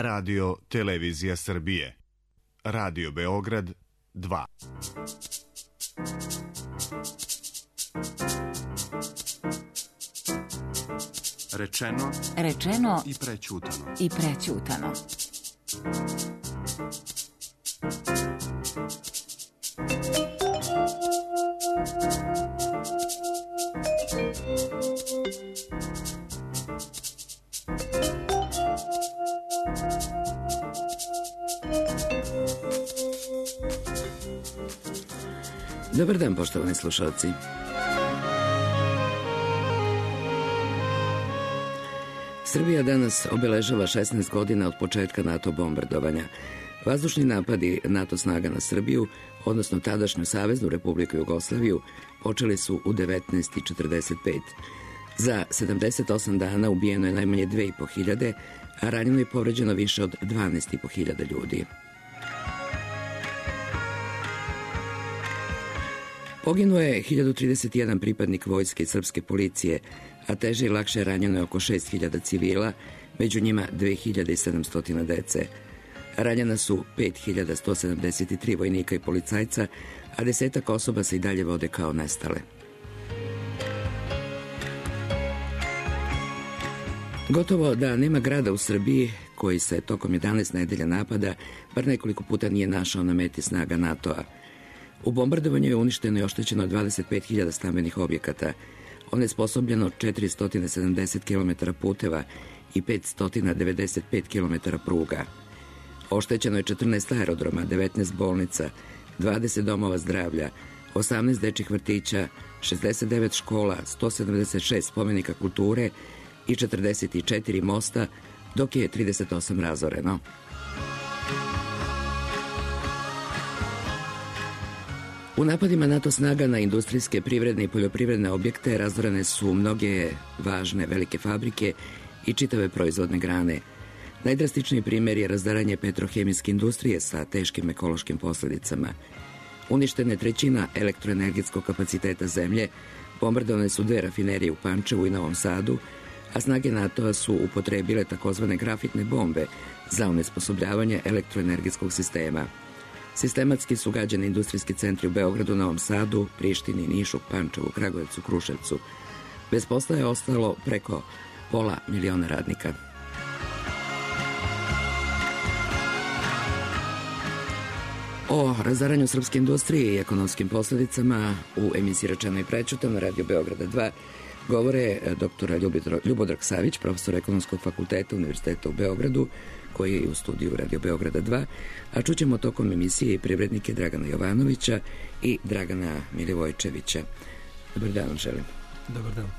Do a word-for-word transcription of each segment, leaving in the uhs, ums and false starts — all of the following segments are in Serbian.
Radio Televizija Srbije. Radio Beograd dva. Rečeno, Rečeno i prećutano. I prećutano. Dobar dan, poštovani slušalci. Srbija danas obeležava šesnaest godina od početka NATO bombardovanja. Vazdušni napadi NATO snaga na Srbiju, odnosno tadašnju Saveznu Republiku Jugoslaviju, počeli su u devetnaest četrdeset pet. Za sedamdeset osam dana ubijeno je najmanje dve i po hiljade, a ranjeno i povređeno više od dvanaest i po hiljada ljudi. Poginuo je hiljadu trideset jedan pripadnik vojske i srpske policije, a teže i lakše ranjeno je oko šest hiljada civila, među njima dve hiljade sedamsto dece. Ranjena su pet hiljada sto sedamdeset tri vojnika i policajca, a desetak osoba se i dalje vode kao nestale. Gotovo da nema grada u Srbiji koji se tokom jedanaest nedelja napada bar nekoliko puta nije našao na meti snaga NATO-a. U bombardovanju je uništeno i oštećeno dvadeset pet hiljada stambenih objekata, onesposobljeno četiristo sedamdeset kilometara puteva i petsto devedeset pet kilometara pruga. Oštećeno je četrnaest aerodroma, devetnaest bolnica, dvadeset domova zdravlja, osamnaest dečjih vrtića, šezdeset devet škola, sto sedamdeset šest spomenika kulture i četrdeset četiri mosta, dok je trideset osam razoreno. U napadima NATO snaga na industrijske, privredne i poljoprivredne objekte razorene su mnoge važne velike fabrike i čitave proizvodne grane. Najdrastičniji primjer je razaranje petrohemijske industrije sa teškim ekološkim posledicama. Uništena je trećina elektroenergetskog kapaciteta zemlje, bombardovane su dve rafinerije u Pančevu i Novom Sadu, a snage NATO-a su upotrebile takozvane grafitne bombe za onesposobljavanje elektroenergetskog sistema. Sistematski su gađani industrijski centri u Beogradu, Novom Sadu, Prištini, Nišu, Pančevu, Kragujevcu, Kruševcu. Bez posla je ostalo preko pola miliona radnika. O razaranju srpske industrije i ekonomskim posledicama u emisiji Rečeno i prećutano na Radio Beograda dva govore doktor Ljubodrag Savić, profesor Ekonomskog fakulteta Univerziteta u Beogradu, koji je u studiju Radio Beograda dva, a čućemo tokom emisije i privrednike Dragana Jovanovića i Dragana Milivojčevića. Dobar dan vam želim. Dobar dan.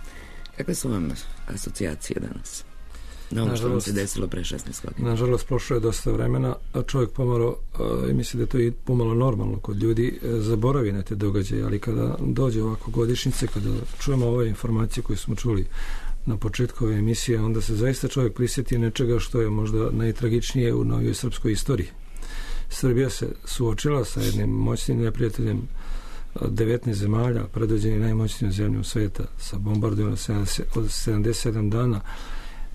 Kakve su vam asocijacije danas? Na ono što vam se desilo pre šesnaest godina. Nažalost, prošlo je dosta vremena, a čovjek pomalo, i misli da je to i pomalo normalno kod ljudi, zaboravi na te događaje, ali kada dođe ovako godišnjice, kada čujemo ove informacije koje smo čuli na početku ove emisije, onda se zaista čovjek prisjeti nečega što je možda najtragičnije u novijoj srpskoj istoriji. Srbija se suočila sa jednim moćnim neprijateljem devetnaest zemalja, predvođeni najmoćnijom zemljom sveta, sa bombardovanjem od sedamdeset sedam dana,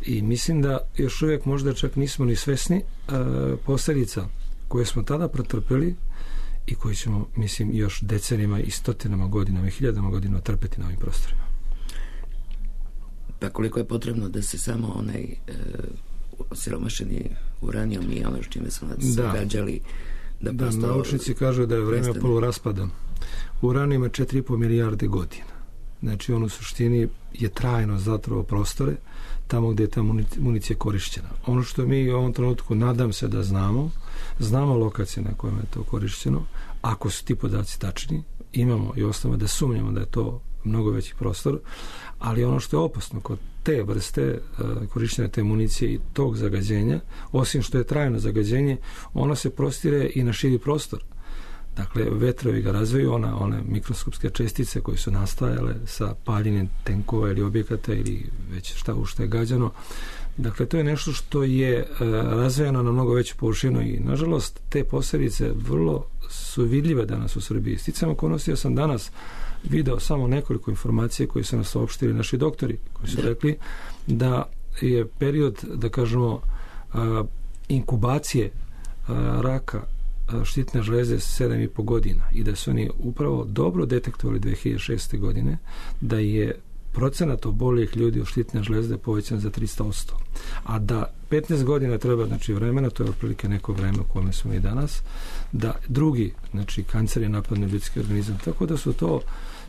i mislim da još uvijek možda čak nismo ni svesni e, posljedica koje smo tada pretrpeli i koji ćemo, mislim, još decenijama i stotinama godinama i hiljadama godina trpeti na ovim prostorima. Pa koliko je potrebno da se samo onaj e, osiromašeni uranijom i ono čime su nas da. gađali da, da naučnici kažu da je vreme nestane. Poluraspada. Uranijom ima četiri i po milijarde godina. Znači on u suštini je trajno zatrao prostore tamo gdje je ta municija korišćena. Ono što mi u ovom trenutku nadam se da znamo, znamo lokacije na kojima je to korišćeno, ako su ti podaci tačni, imamo i osnova da sumnjamo da je to mnogo veći prostor, ali ono što je opasno kod te vrste uh, korišćenja te municije i tog zagađenja, osim što je trajno zagađenje, ono se prostire i na širi prostor. Dakle, vetrovi ga razviju, ona, one mikroskopske čestice koje su nastajale sa paljenjem tenkova ili objekata ili već šta u što je gađano. Dakle, to je nešto što je e, razvijeno na mnogo veću površinu i, nažalost, te posljedice vrlo su vidljive danas u Srbiji. Sticam okolnosti, ja sam danas video samo nekoliko informacija koje su nas saopštili naši doktori, koji su rekli da je period, da kažemo, a, inkubacije a, raka a, štitne žlezde sedam i po godina i da su oni upravo dobro detektovali dve hiljade šeste. godine da je procenat oboljelih ljudi od štitne žlezde povećan za tristo posto. A da petnaest godina treba, znači vremena, to je otprilike neko vreme u kome smo i danas, da drugi, znači kancer je napadne ljudski organizam. Tako da su to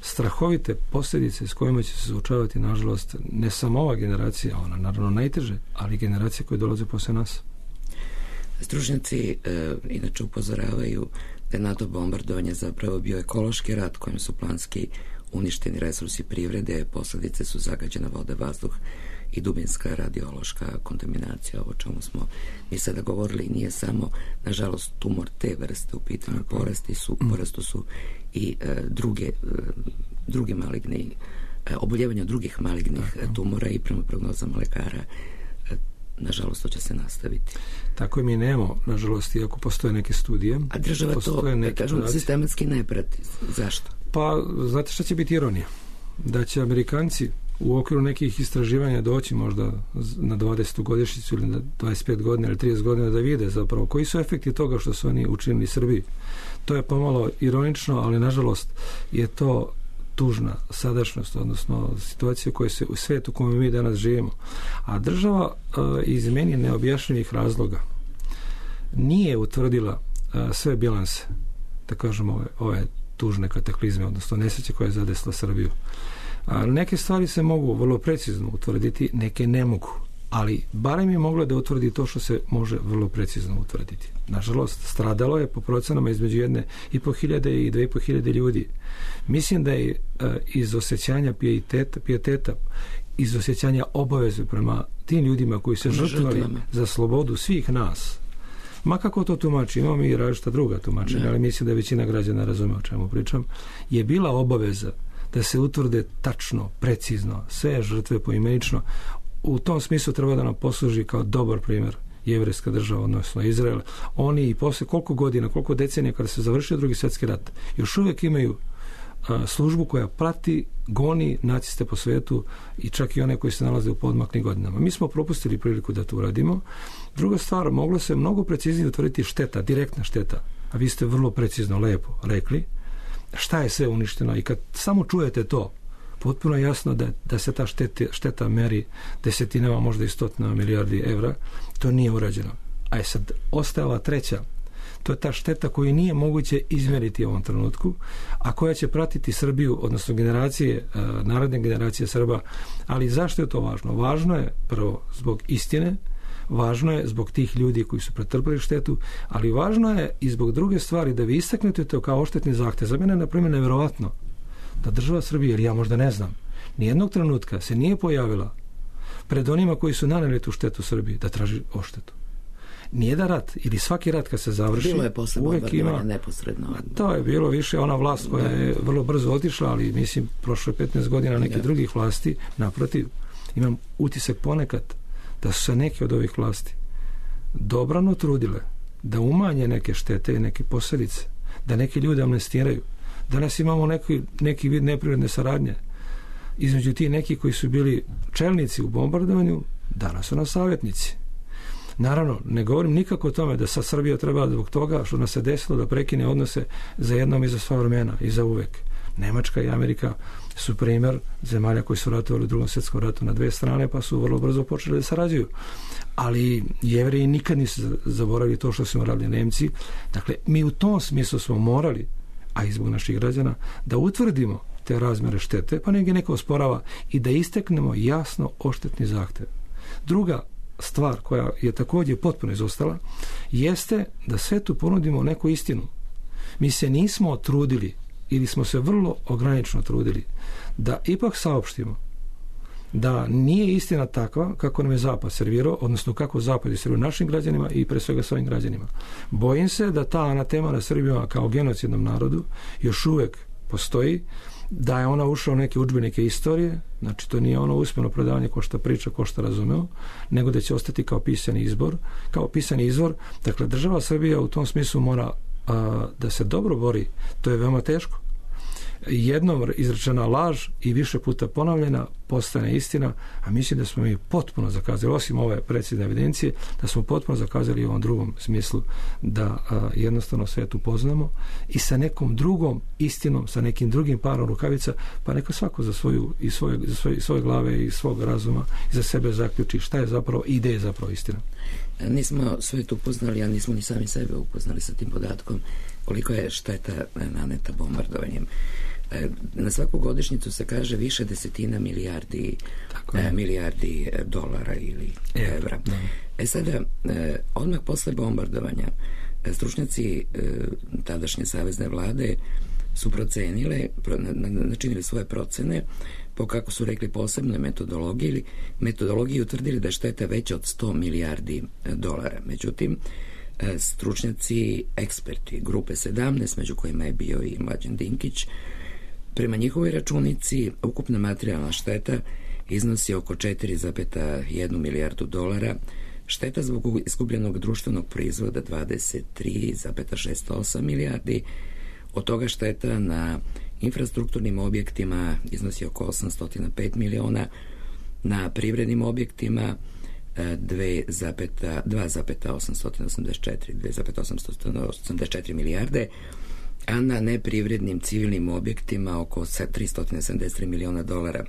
strahovite posljedice s kojima će se suočavati, nažalost, ne samo ova generacija, ona naravno najteže, ali generacije koje dolaze posle nas. Stručnjaci e, inače upozoravaju da je NATO bombardovanje zapravo bio ekološki rat kojim su planski uništeni resursi privrede, posljedice su zagađena voda, vazduh i dubinska radiološka kontaminacija. Ovo čemu smo mi sada govorili nije samo, nažalost, tumor te vrste u pitanju, porasti su, porastu su i e, druge, e, druge maligne, e, oboljevanja drugih malignih e, tumora i prema prognozama lekara e, nažalost to će se nastaviti. Tako mi nemamo, nažalost, iako postoje neke studije. A država to, kažem, sistematski ne prati. Zašto? Pa, znate šta će biti ironija? Da će Amerikanci u okviru nekih istraživanja doći možda na dvadesetu godišnjicu ili na dvadeset pet godina ili trideset godina da vide zapravo koji su efekti toga što su oni učinili Srbiji. To je pomalo ironično, ali nažalost je to tužna sadašnjost, odnosno situacija koja se u svetu u kojem mi danas živimo. A država e, iz meni neobjašnjivih razloga nije utvrdila e, sve bilanse, da kažemo ove, ove tužne kataklizme, odnosno nesreće koje je zadesila Srbiju. A neke stvari se mogu vrlo precizno utvrditi, neke ne mogu, ali barem je moglo da utvrdi to što se može vrlo precizno utvrditi. Nažalost, stradalo je po procenama između jedne i po hiljade i dve i po hiljade ljudi. Mislim da je e, iz osjećanja pijeteta, pijeteta, iz osjećanja obaveze prema tim ljudima koji se žrtvovali za slobodu svih nas, ma kako to tumači, imamo i različita druga tumačenja, ali mislim da većina građana razume o čemu pričam, je bila obaveza da se utvrde tačno, precizno, sve žrtve poimenično. U tom smislu treba da nam posluži kao dobar primjer jevrejska država, odnosno Izrael. Oni i posle koliko godina, koliko decenija kada se završio drugi svjetski rat, još uvijek imaju a, službu koja prati, goni naciste po svetu i čak i one koji se nalaze u podmaklim godinama. Mi smo propustili priliku da to uradimo. Druga stvar, moglo se mnogo preciznije utvrditi šteta, direktna šteta, a vi ste vrlo precizno, lepo rekli šta je sve uništeno i kad samo čujete to, potpuno je jasno da, da se ta šteta, šteta meri desetinama, možda i stotinama milijardi evra, to nije urađeno. A je sad ostajala treća, to je ta šteta koju nije moguće izmeriti u ovom trenutku, a koja će pratiti Srbiju, odnosno generacije, narodne generacije Srba. Ali zašto je to važno? Važno je prvo zbog istine, važno je zbog tih ljudi koji su pretrpili štetu, ali važno je i zbog druge stvari da vi istaknete to kao oštetni zahtev. Za mene je, na primjer, nevjerovatno da država Srbije, jer ja možda ne znam, nijednog trenutka se nije pojavila pred onima koji su naneli tu štetu Srbiji da traži odštetu. Nijedan rat ili svaki rat kad se završi, bilo je posle bombardovanja neposredno. To je bilo više ona vlast koja je vrlo brzo otišla, ali mislim prošlo je petnaest godina nekih drugih vlasti. Naprotiv, imam utisak ponekad da su se neke od ovih vlasti dobrano trudile da umanje neke štete i neke posljedice, da neki ljudi amnestiraju. Danas imamo neki, neki vid neprirodne saradnje između ti neki koji su bili čelnici u bombardovanju, danas su nas savjetnici. Naravno, ne govorim nikako o tome da sad Srbija treba zbog toga što nas se desilo da prekine odnose za jednom i za sva vremena i za uvek. Nemačka i Amerika su primjer zemalja koji su ratovali u drugom svjetskom ratu na dve strane, pa su vrlo brzo počeli da sarađuju. Ali Jevreji nikad nisu zaboravili to što su radili Nemci. Dakle, mi u tom smislu smo morali, a i zbog naših građana, da utvrdimo te razmjere štete, pa negdje neko osporava, i da isteknemo jasno odštetni zahtev. Druga stvar koja je također potpuno izostala jeste da svetu ponudimo neku istinu. Mi se nismo trudili ili smo se vrlo ograničeno trudili da ipak saopštimo da nije istina takva kako nam je Zapad servirao, odnosno kako Zapad je servirao našim građanima i pre svega svojim građanima. Bojim se da ta anatema na Srbima kao genocidnom narodu još uvijek postoji, da je ona ušla u neke udžbenike istorije, znači to nije ono usmeno predavanje ko šta priča, ko šta razumeo, nego da će ostati kao pisani izbor, kao pisani izvor. Dakle, država Srbija u tom smislu mora a, da se dobro bori. To je veoma teško. Jednom izrečena laž i više puta ponavljena postane istina, a mislim da smo mi potpuno zakazali, osim ove precizne evidencije, da smo potpuno zakazali u ovom drugom smislu, da a, jednostavno svet upoznamo i sa nekom drugom istinom, sa nekim drugim parom rukavica, pa neka svako za svoju i svoje, za svoje, svoje glave i svog razuma i za sebe zaključi šta je zapravo i gde je zapravo istina. Nismo svet upoznali, a nismo ni sami sebe upoznali sa tim podatkom koliko je šteta naneta bombardovanjem. Na svaku godišnjicu se kaže više desetina milijardi, e, milijardi dolara ili evra. Da. E sada, e, odmah posle bombardovanja stručnjaci e, tadašnje savezne vlade su procenile, pro, načinili svoje procene po, kako su rekli, posebnoj metodologiji ili metodologiji utvrdili da je šteta veća od sto milijardi dolara. Međutim, stručnjaci, eksperti grupe sedamnaest, među kojima je bio i Mlađan Dinkić, prema njihovoj računici ukupna materijalna šteta iznosi oko četiri zarez jedna milijardu dolara, šteta zbog izgubljenog društvenog proizvoda dvadeset tri zarez šezdeset osam milijardi, od toga šteta na infrastrukturnim objektima iznosi oko osamsto pet miliona, na privrednim objektima dva zarez osamsto osamdeset četiri milijarde, a na neprivrednim civilnim objektima oko tristo sedamdeset tri miliona dolara.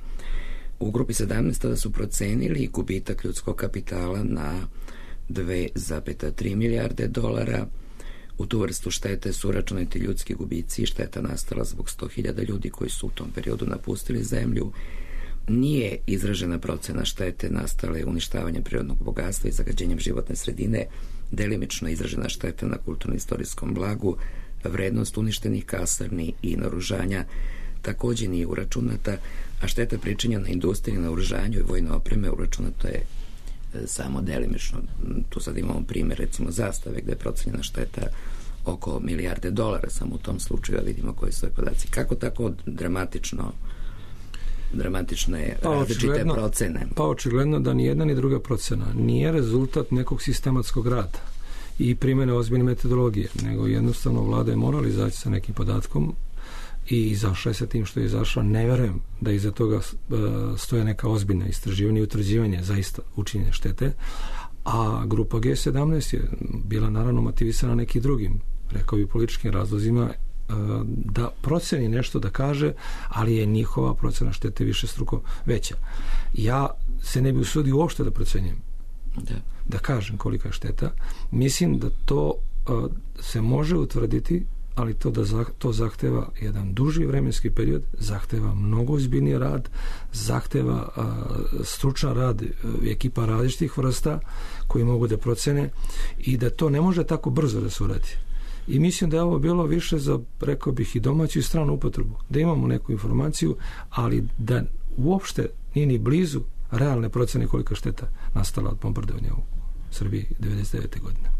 U grupi sedamnaest tada su procenili gubitak ljudskog kapitala na dve zarez tri milijarde dolara. U tu vrstu štete su uračunati ljudski gubici i šteta nastala zbog sto hiljada ljudi koji su u tom periodu napustili zemlju. Nije izražena procena štete nastale uništavanjem prirodnog bogatstva i zagađenjem životne sredine, delimično izražena šteta na kulturno-istorijskom blagu, vrednost uništenih kasarni i naoružanja također nije uračunata, a šteta pričinjena industriji, naoružanju i vojne opreme uračunata je samo delimično. Tu sad imamo primjer, recimo, zastave gde je procenjena šteta oko milijarde dolara, samo u tom slučaju, a vidimo koji su podaci. Kako tako dramatično dramatične pa različite procene? Pa očigledno da ni jedna ni druga procena nije rezultat nekog sistematskog rada i primjene ozbiljne metodologije, nego jednostavno vlada je morala izaći sa nekim podatkom i izašla je sa tim što je izašla. Ne verujem da iza toga stoje neka ozbiljna istraživanja i utvrđivanje zaista učinjene štete, a grupa G sedamnaest je bila naravno motivisana nekim drugim, rekao bi, političkim razlozima da proceni nešto, da kaže, ali je njihova procena štete više struko veća. Ja se ne bi usudio uopšte da procenjujem, da, da kažem kolika je šteta. Mislim da to uh, se može utvrditi, ali to da zah, to zahteva jedan duži vremenski period, zahteva mnogo ozbiljniji rad, zahteva uh, stručan rad uh, ekipa različitih vrsta koji mogu da procene i da to ne može tako brzo da se uradi. I mislim da je ovo bilo više za, rekao bih, i domaću i stranu upotrebu. Da imamo neku informaciju, ali da uopšte nije ni blizu realne procene kolika šteta nastala od bombardovanja u Srbiji devedeset devete godine.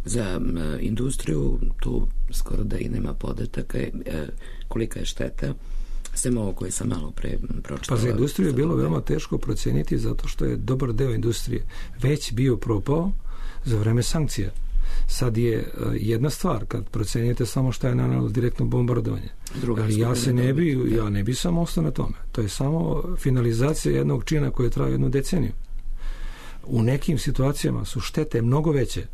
Za m, industriju tu skoro da i nema podataka. E, kolika je šteta? Sem ovo koje sam malo pre pročitala. Pa za industriju je bilo veoma teško proceniti zato što je dobar deo industrije već bio propao za vreme sankcija. Sad je jedna stvar kad procenjujete samo šta je nanelo direktno bombardovanje. Druga, ali ja se ne bi, ja ne bi samo ostao na tome. To je samo finalizacija jednog čina koji traje jednu deceniju. U nekim situacijama su štete mnogo veće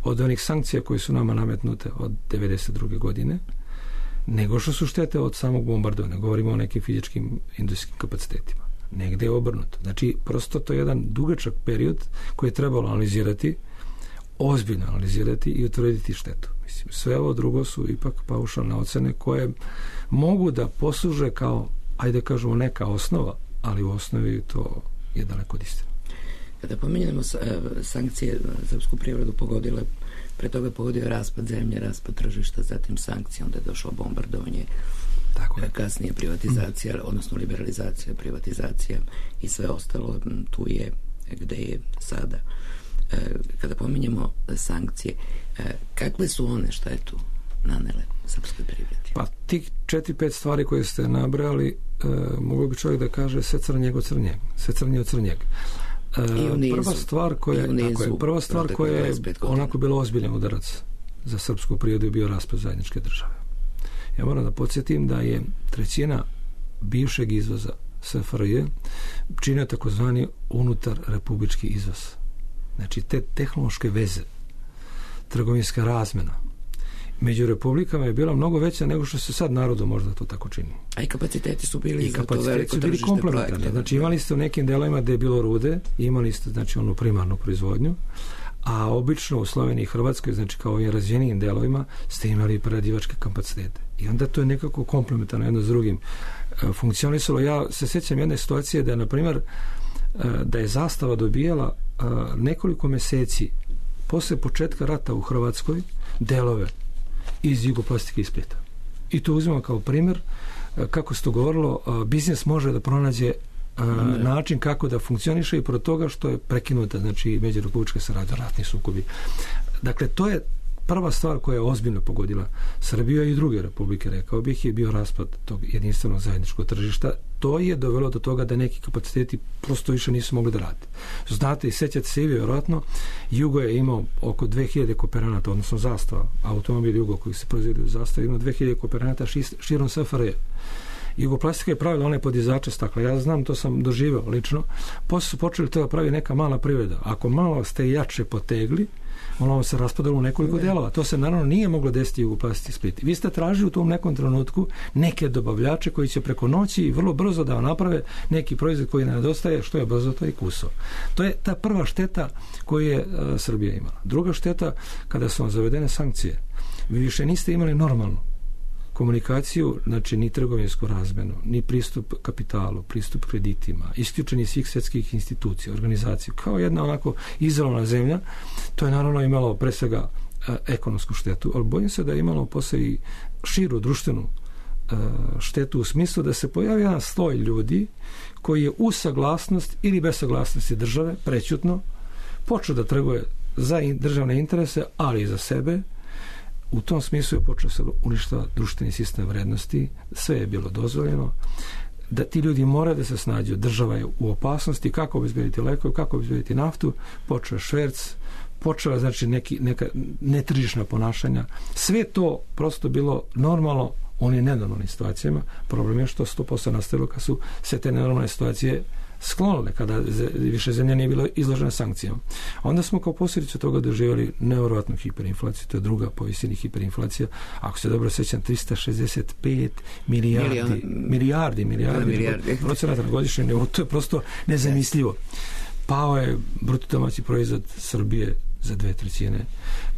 od onih sankcija koje su nama nametnute od devedeset druge godine, nego što su štete od samog bombardovanja. Govorimo o nekim fizičkim industrijskim kapacitetima. Negde je obrnuto. Znači, prosto to je jedan dugačak period koji je trebalo analizirati, ozbiljno analizirati i utvrditi štetu. Mislim, sve ovo drugo su ipak paušalne ocene koje mogu da posluže kao, ajde kažemo, neka osnova, ali u osnovi to je daleko od istine. Kada pominjamo sankcije, srpsku privredu pogodile, pre toga pogodio raspad zemlje, raspad tržišta, zatim sankcije, onda je došlo bombardovanje, tako je. Kasnije privatizacija, odnosno liberalizacija, privatizacija i sve ostalo, tu je gde je sada. Kada pominjemo sankcije, kakve su one štetu nanele srpskoj privredi? Pa tih četiri, pet stvari koje ste nabrali, e, mogu bi čovjek da kaže sve crnje od crnjeg, sve crnje od crnjeg. E, prva stvar koja je, tako je, prva stvar koja je onako bilo ozbiljan udarac za srpsku privredu je bio raspad zajedničke države. Ja moram da podsjetim da je trećina bivšeg izvoza S F R J čine takozvani unutar republički izvoz. Znači te tehnološke veze, trgovinska razmena među republikama je bila mnogo veća nego što se sad narodu možda to tako čini. A i kapaciteti su bili I za to veliko tržište projekta. Znači imali ste u nekim delovima gde je bilo rude, imali ste znači onu primarnu proizvodnju, a obično u Sloveniji i Hrvatskoj, znači kao ovim razvijenijim delovima, ste imali preradivačke kapacitete. I onda to je nekako komplementarno jedno s drugim funkcionisalo. Ja se sjećam jedne situacije da je, na primjer, da je Zastava dobijala nekoliko meseci posle početka rata u Hrvatskoj delove iz Jugoplastike iz Splita. I to uzimamo kao primjer kako se to govorilo, biznis može da pronađe ne. način kako da funkcioniše i pro toga što je prekinuta, znači međurepublička saradnja, ratni sukobi. Dakle, to je prva stvar koja je ozbiljno pogodila Srbiju i druge republike, rekao bih, je bio raspad tog jedinstvenog zajedničkog tržišta. To je dovelo do toga da neki kapaciteti prosto više nisu mogli da rade. Znate i sećate se i vjerojatno, Jugo je imao oko dve hiljade kooperanata, odnosno Zastava, automobil Jugo koji se proizvodi u Zastavi, imao dve hiljade kooperanata širom S F R J. Jugoplastika je pravila one podizače stakla. Ja znam, to sam doživeo lično. Posle su počeli to da pravi neka mala privreda. Ako malo ste jače potegli, ono se raspadalo u nekoliko delova. To se naravno nije moglo desiti Jugoplastici Split. Vi ste tražili u tom nekom trenutku neke dobavljače koji će preko noći i vrlo brzo da naprave neki proizvod koji ne nedostaje, što je brzo to i kuso. To je ta prva šteta koju je uh, Srbija imala. Druga šteta, kada su vam zavedene sankcije, vi više niste imali normalnu komunikaciju, znači ni trgovinsku razmenu, ni pristup kapitalu, pristup kreditima, isključeni svih svjetskih institucija, organizacija, kao jedna onako izolovana zemlja. To je naravno imalo pre svega e, ekonomsku štetu, ali bojim se da je imalo posle i širu društvenu e, štetu u smislu da se pojavi jedan sloj ljudi koji je u saglasnost ili bez saglasnosti države, prećutno, počeo da trguje za državne interese, ali i za sebe. U tom smislu je počeo se uništava društveni sistem vrednosti, sve je bilo dozvoljeno, da ti ljudi moraju da se snađu, država je u opasnosti, kako obezbediti lekove, kako obezbediti naftu, počeo šverc, počela znači neki, neka netržišna ponašanja, sve to prosto bilo normalno u onim nenormalnim situacijama. Problem je što sto posto nastavilo kad su sve te nenormalne situacije sklonile, kada više zemlja nije bilo izložena sankcijama. Onda smo kao posljedicu toga doživjeli nevjerovatnu hiperinflaciju, to je druga po visini hiperinflacija. Ako se dobro sjećam, trista šezdeset pet milijardi, Milion... milijardi, milijardi, milijardi. procenata na godišnjem nivou, to je prosto nezamislivo. Pao je bruto domaći proizvod Srbije za dve trećine.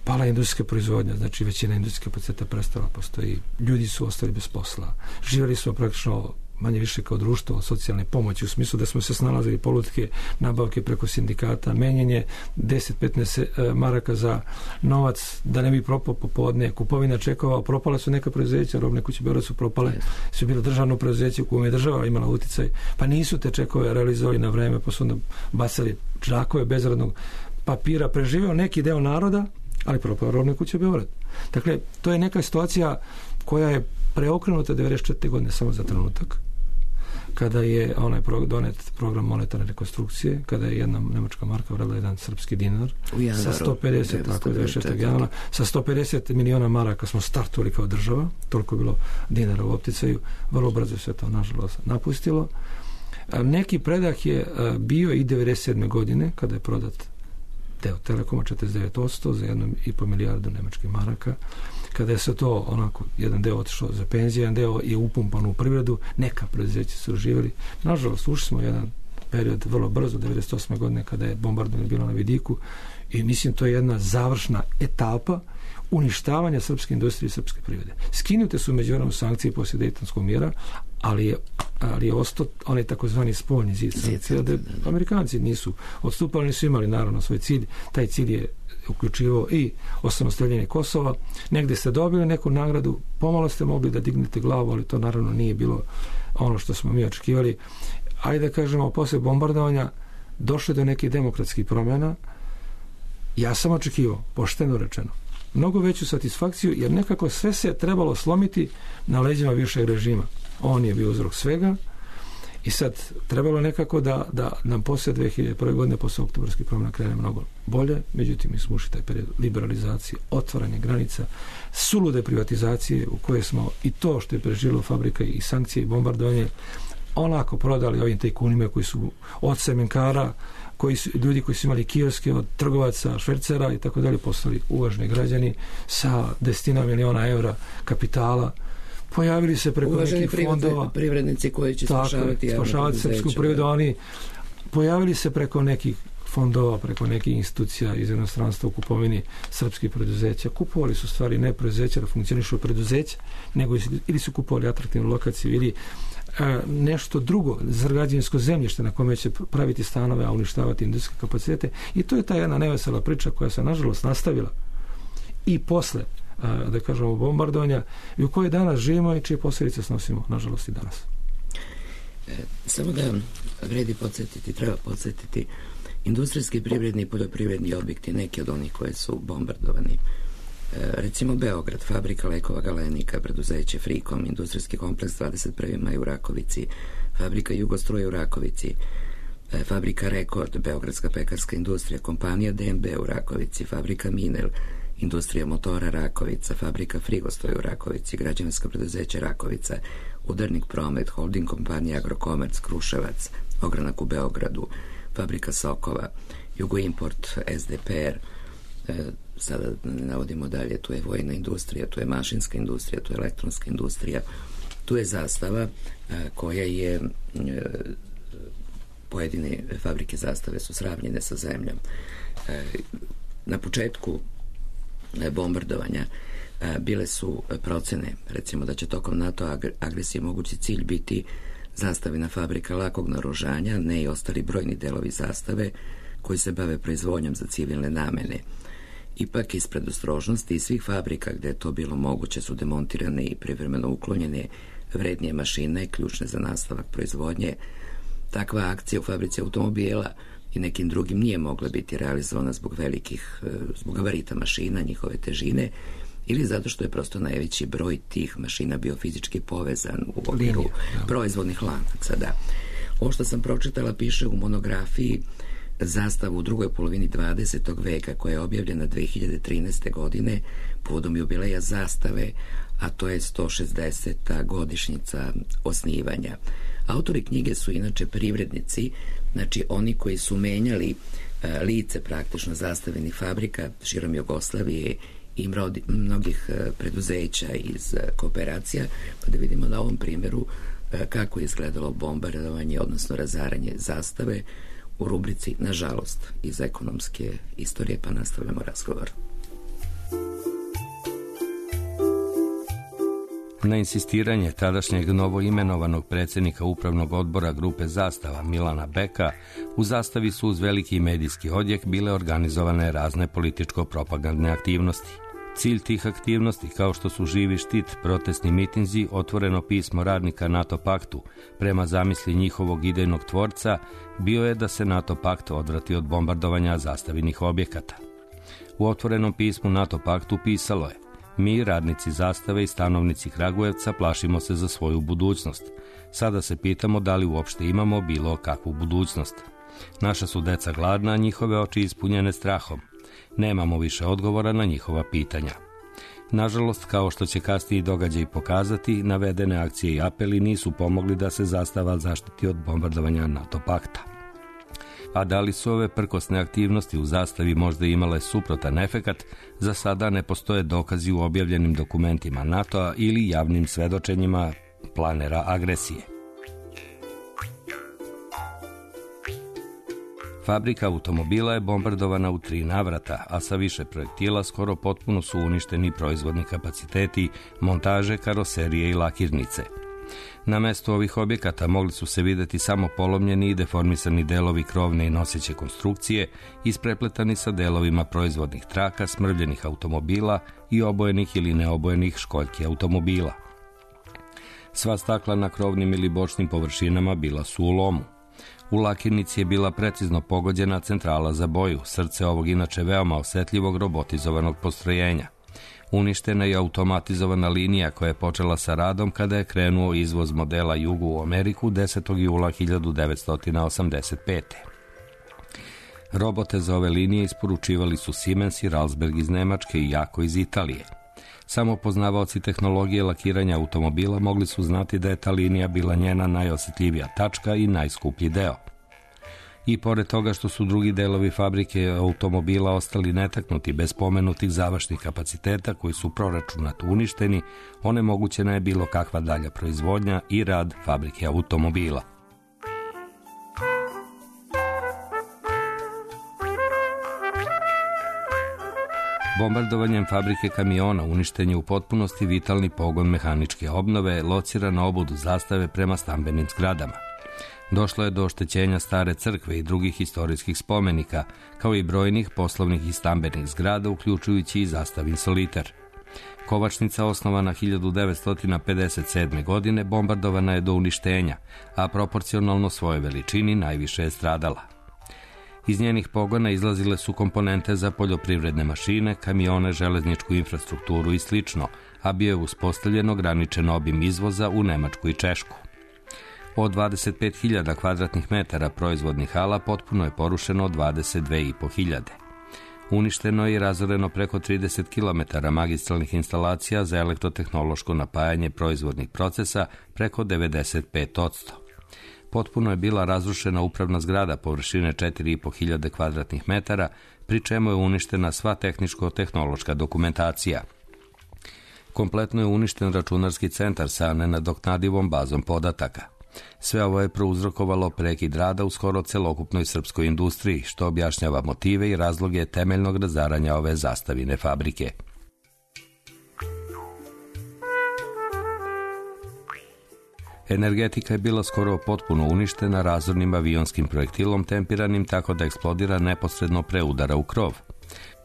Pala je industrijska proizvodnja, znači većina industrijskih kapaciteta prestala postoji. Ljudi su ostali bez posla. Živjeli smo praktično manje više kao društvo od socijalne pomoći, u smislu da smo se snalazili politike, nabavke preko sindikata, menjenje deset do petnaest maraka za novac da ne bi propao popodne, kupovina čekova, propala su neka preduzeća, robne kuće Beograd su propale, su bilo državno preduzeće u kojem je država imala uticaj, pa nisu te čekove realizovali na vreme, pa su onda bacali džakove bezradnog papira, preživeo neki deo naroda, ali propao robne kuće Beograd. Dakle, to je neka situacija koja je preokrenuta devedeset četvrte godine samo za trenutak, kada je onaj pro, donet program monetarne rekonstrukcije, kada je jedna nemačka marka vredila jedan srpski dinar januaru, sa sto pedeset, tako devedeset četvrtog januara, sa sto pedeset miliona maraka smo startovali kao država, toliko je bilo dinara u opticaju, vrlo brzo se to nažalost napustilo. Neki predah je bio i devedeset sedme godine, kada je prodat deo Telekoma četrdeset devet posto za jednu i po milijardu nemačkih maraka, kada je se to onako, jedan deo otišao za penzije, jedan deo je upumpan u privredu, neka preduzeća su živjeli. Nažalost, ušli smo jedan period vrlo brzo, devedeset osme godine, kada je bombardovanje bilo na vidiku i mislim to je jedna završna etapa uništavanja srpske industrije i srpske privrede. Skinute su međunarodne sankcije poslije Dejtonskog mira, ali je, ali je ostao onaj takozvani spoljni zid sankcija, da Amerikanci nisu odstupali, nisu imali naravno svoj cilj. Taj cilj je uključivao i osamostaljenje Kosova. Negde ste dobili neku nagradu, pomalo ste mogli da dignete glavu, ali to naravno nije bilo ono što smo mi očekivali. Ajde da kažemo, posle bombardovanja došlo do nekih demokratskih promjena. Ja sam očekivao, pošteno rečeno, mnogo veću satisfakciju, jer nekako sve se trebalo slomiti na leđima bivšeg režima. On je bio uzrok svega i sad trebalo nekako da, da nam poslije dve hiljade prve godine, posle oktobarskih promjena krene mnogo bolje, međutim mi smo ušli taj period liberalizacije, otvaranje granica, sulude privatizacije u koje smo i to što je preživjelo fabrika i sankcije i bombardovanje, onako prodali ovim tajkunima koji su od semenkara, koji su, ljudi koji su imali kioske, od trgovaca, švercera i tako dalje, postali uvaženi građani sa desetina miliona evra kapitala. Pojavili se preko uvaženi nekih fondova. Privrednici koji će spašavati javno spašavati srpsku privredu, oni pojavili se preko nekih fondova, preko nekih institucija iz inostranstva u kupovini srpskih preduzeća. Kupovali su stvari ne preduzeća da funkcionišu preduzeća, nego ili su kupovali atraktivnu lokaciju ili a, nešto drugo, građevinsko zemljište na kome će praviti stanove, a uništavati industrijske kapacitete. I to je ta jedna nevesela priča koja se nažalost nastavila i posle, a, da kažemo, bombardovanja i u kojoj danas živimo i čije posljedice snosimo, nažalost, i danas. E, samo da vredi podsjetiti, treba podsjetiti, industrijski, privredni i poljoprivredni objekti, neki od onih koje su bombardovani. E, recimo Beograd, fabrika lekova Galenika, preduzeće Frikom, industrijski kompleks dvadeset prvi maj u Rakovici, fabrika Jugostruje u Rakovici, e, fabrika Rekord, Beogradska pekarska industrija, kompanija D M B u Rakovici, fabrika Minel, industrija motora Rakovica, fabrika Frigostoj u Rakovici, građevinsko preduzeće Rakovica, Udarnik promet, holding kompanija Agrokomerc, Kruševac, ogranak u Beogradu, fabrika Sokova, Jugoimport, S D P R, e, sada ne navodimo dalje, tu je vojna industrija, tu je mašinska industrija, tu je elektronska industrija, tu je Zastava e, koja je e, pojedine fabrike Zastave su sravnjene sa zemljom. E, na početku e, bombardovanja e, bile su procene, recimo da će tokom NATO agresije mogući cilj biti Zastavina fabrika lakog naoružanja, ne i ostali brojni delovi Zastave koji se bave proizvodnjom za civilne namene. Ipak, iz predostrožnosti i svih fabrika gde je to bilo moguće su demontirane i privremeno uklonjene vrednije mašine, ključne za nastavak proizvodnje. Takva akcija u fabrici automobila i nekim drugim nije mogla biti realizovana zbog velikih, zbog gabarita mašina, njihove težine, ili zato što je prosto najveći broj tih mašina bio fizički povezan u okviru proizvodnih lanaca. Da. Ovo što sam pročitala piše u monografiji Zastavu u drugoj polovini dvadesetog veka, koja je objavljena dve hiljade trinaeste. godine povodom jubileja Zastave, a to je sto šezdeseta godišnjica osnivanja. Autori knjige su inače privrednici, znači oni koji su menjali a, lice praktično zastavenih fabrika širom Jugoslavije i mnogih preduzeća iz kooperacija, pa da vidimo na ovom primjeru kako je izgledalo bombardovanje, odnosno razaranje Zastave u rubrici, nažalost, iz ekonomske istorije, pa nastavljamo razgovor. Na insistiranje tadašnjeg novoimenovanog predsjednika upravnog odbora grupe Zastava Milana Beka, u Zastavi su uz veliki medijski odjek bile organizovane razne političko-propagandne aktivnosti. Cilj tih aktivnosti, kao što su živi štit, protestni mitinzi, otvoreno pismo radnika NATO paktu, prema zamisli njihovog idejnog tvorca, bio je da se NATO pakt odvrati od bombardovanja zastavinih objekata. U otvorenom pismu NATO paktu pisalo je: mi, radnici Zastave i stanovnici Kragujevca, plašimo se za svoju budućnost. Sada se pitamo da li uopšte imamo bilo kakvu budućnost. Naša su deca gladna, a njihove oči ispunjene strahom. Nemamo više odgovora na njihova pitanja. Nažalost, kao što će kasniji događaj pokazati, navedene akcije i apeli nisu pomogli da se Zastava zaštiti od bombardovanja NATO pakta. A da li su ove prkosne aktivnosti u Zastavi možda imale suprotan efekat, za sada ne postoje dokazi u objavljenim dokumentima NATO-a ili javnim svedočenjima planera agresije. Fabrika automobila je bombardovana u tri navrata, a sa više projektila skoro potpuno su uništeni proizvodni kapaciteti, montaže, karoserije i lakirnice. Na mestu ovih objekata mogli su se vidjeti samo polomljeni i deformisani delovi krovne i noseće konstrukcije, isprepletani sa delovima proizvodnih traka, smrvljenih automobila i obojenih ili neobojenih školjki automobila. Sva stakla na krovnim ili bočnim površinama bila su u lomu. U lakirnici je bila precizno pogođena centrala za boju, srce ovog inače veoma osetljivog robotizovanog postrojenja. Uništena je automatizovana linija koja je počela sa radom kada je krenuo izvoz modela Jugu u Ameriku desetog jula hiljadu devetsto osamdeset pete. Robote za ove linije isporučivali su Siemens i Ralsberg iz Nemačke i Jako iz Italije. Samo poznavaoci tehnologije lakiranja automobila mogli su znati da je ta linija bila njena najosjetljivija tačka i najskuplji deo. I pored toga što su drugi delovi fabrike automobila ostali netaknuti bez pomenutih završnih kapaciteta koji su proračunato uništeni, onemogućena je bilo kakva dalja proizvodnja i rad fabrike automobila. Bombardovanjem fabrike kamiona uništen je u potpunosti vitalni pogon mehaničke obnove, lociran na obodu zastave prema stambenim zgradama. Došlo je do oštećenja stare crkve i drugih istorijskih spomenika, kao i brojnih poslovnih i stambenih zgrada, uključujući i zastavin Soliter. Kovačnica, osnovana hiljadu devetsto pedeset sedme. godine, bombardovana je do uništenja, a proporcionalno svojoj veličini najviše je stradala. Iz njenih pogona izlazile su komponente za poljoprivredne mašine, kamione, železničku infrastrukturu i slično, a bio je uspostavljen ograničen obim izvoza u Nemačku i Češku. Od dvadeset pet hiljada kvadratnih metara proizvodnih hala potpuno je porušeno dvadeset dve i po hiljade. Uništeno je i razoreno preko trideset kilometara magistralnih instalacija za elektrotehnološko napajanje proizvodnih procesa, preko devedeset pet odsto. Potpuno je bila razrušena upravna zgrada površine četiri i po hiljade kvadratnih metara, pri čemu je uništena sva tehničko-tehnološka dokumentacija. Kompletno je uništen računarski centar sa nenadoknadivom bazom podataka. Sve ovo je prouzrokovalo prekid rada u skoro celokupnoj srpskoj industriji, što objašnjava motive i razloge temeljnog razaranja ove zastavine fabrike. Energetika je bila skoro potpuno uništena razornim avionskim projektilom tempiranim tako da eksplodira neposredno pre udara u krov.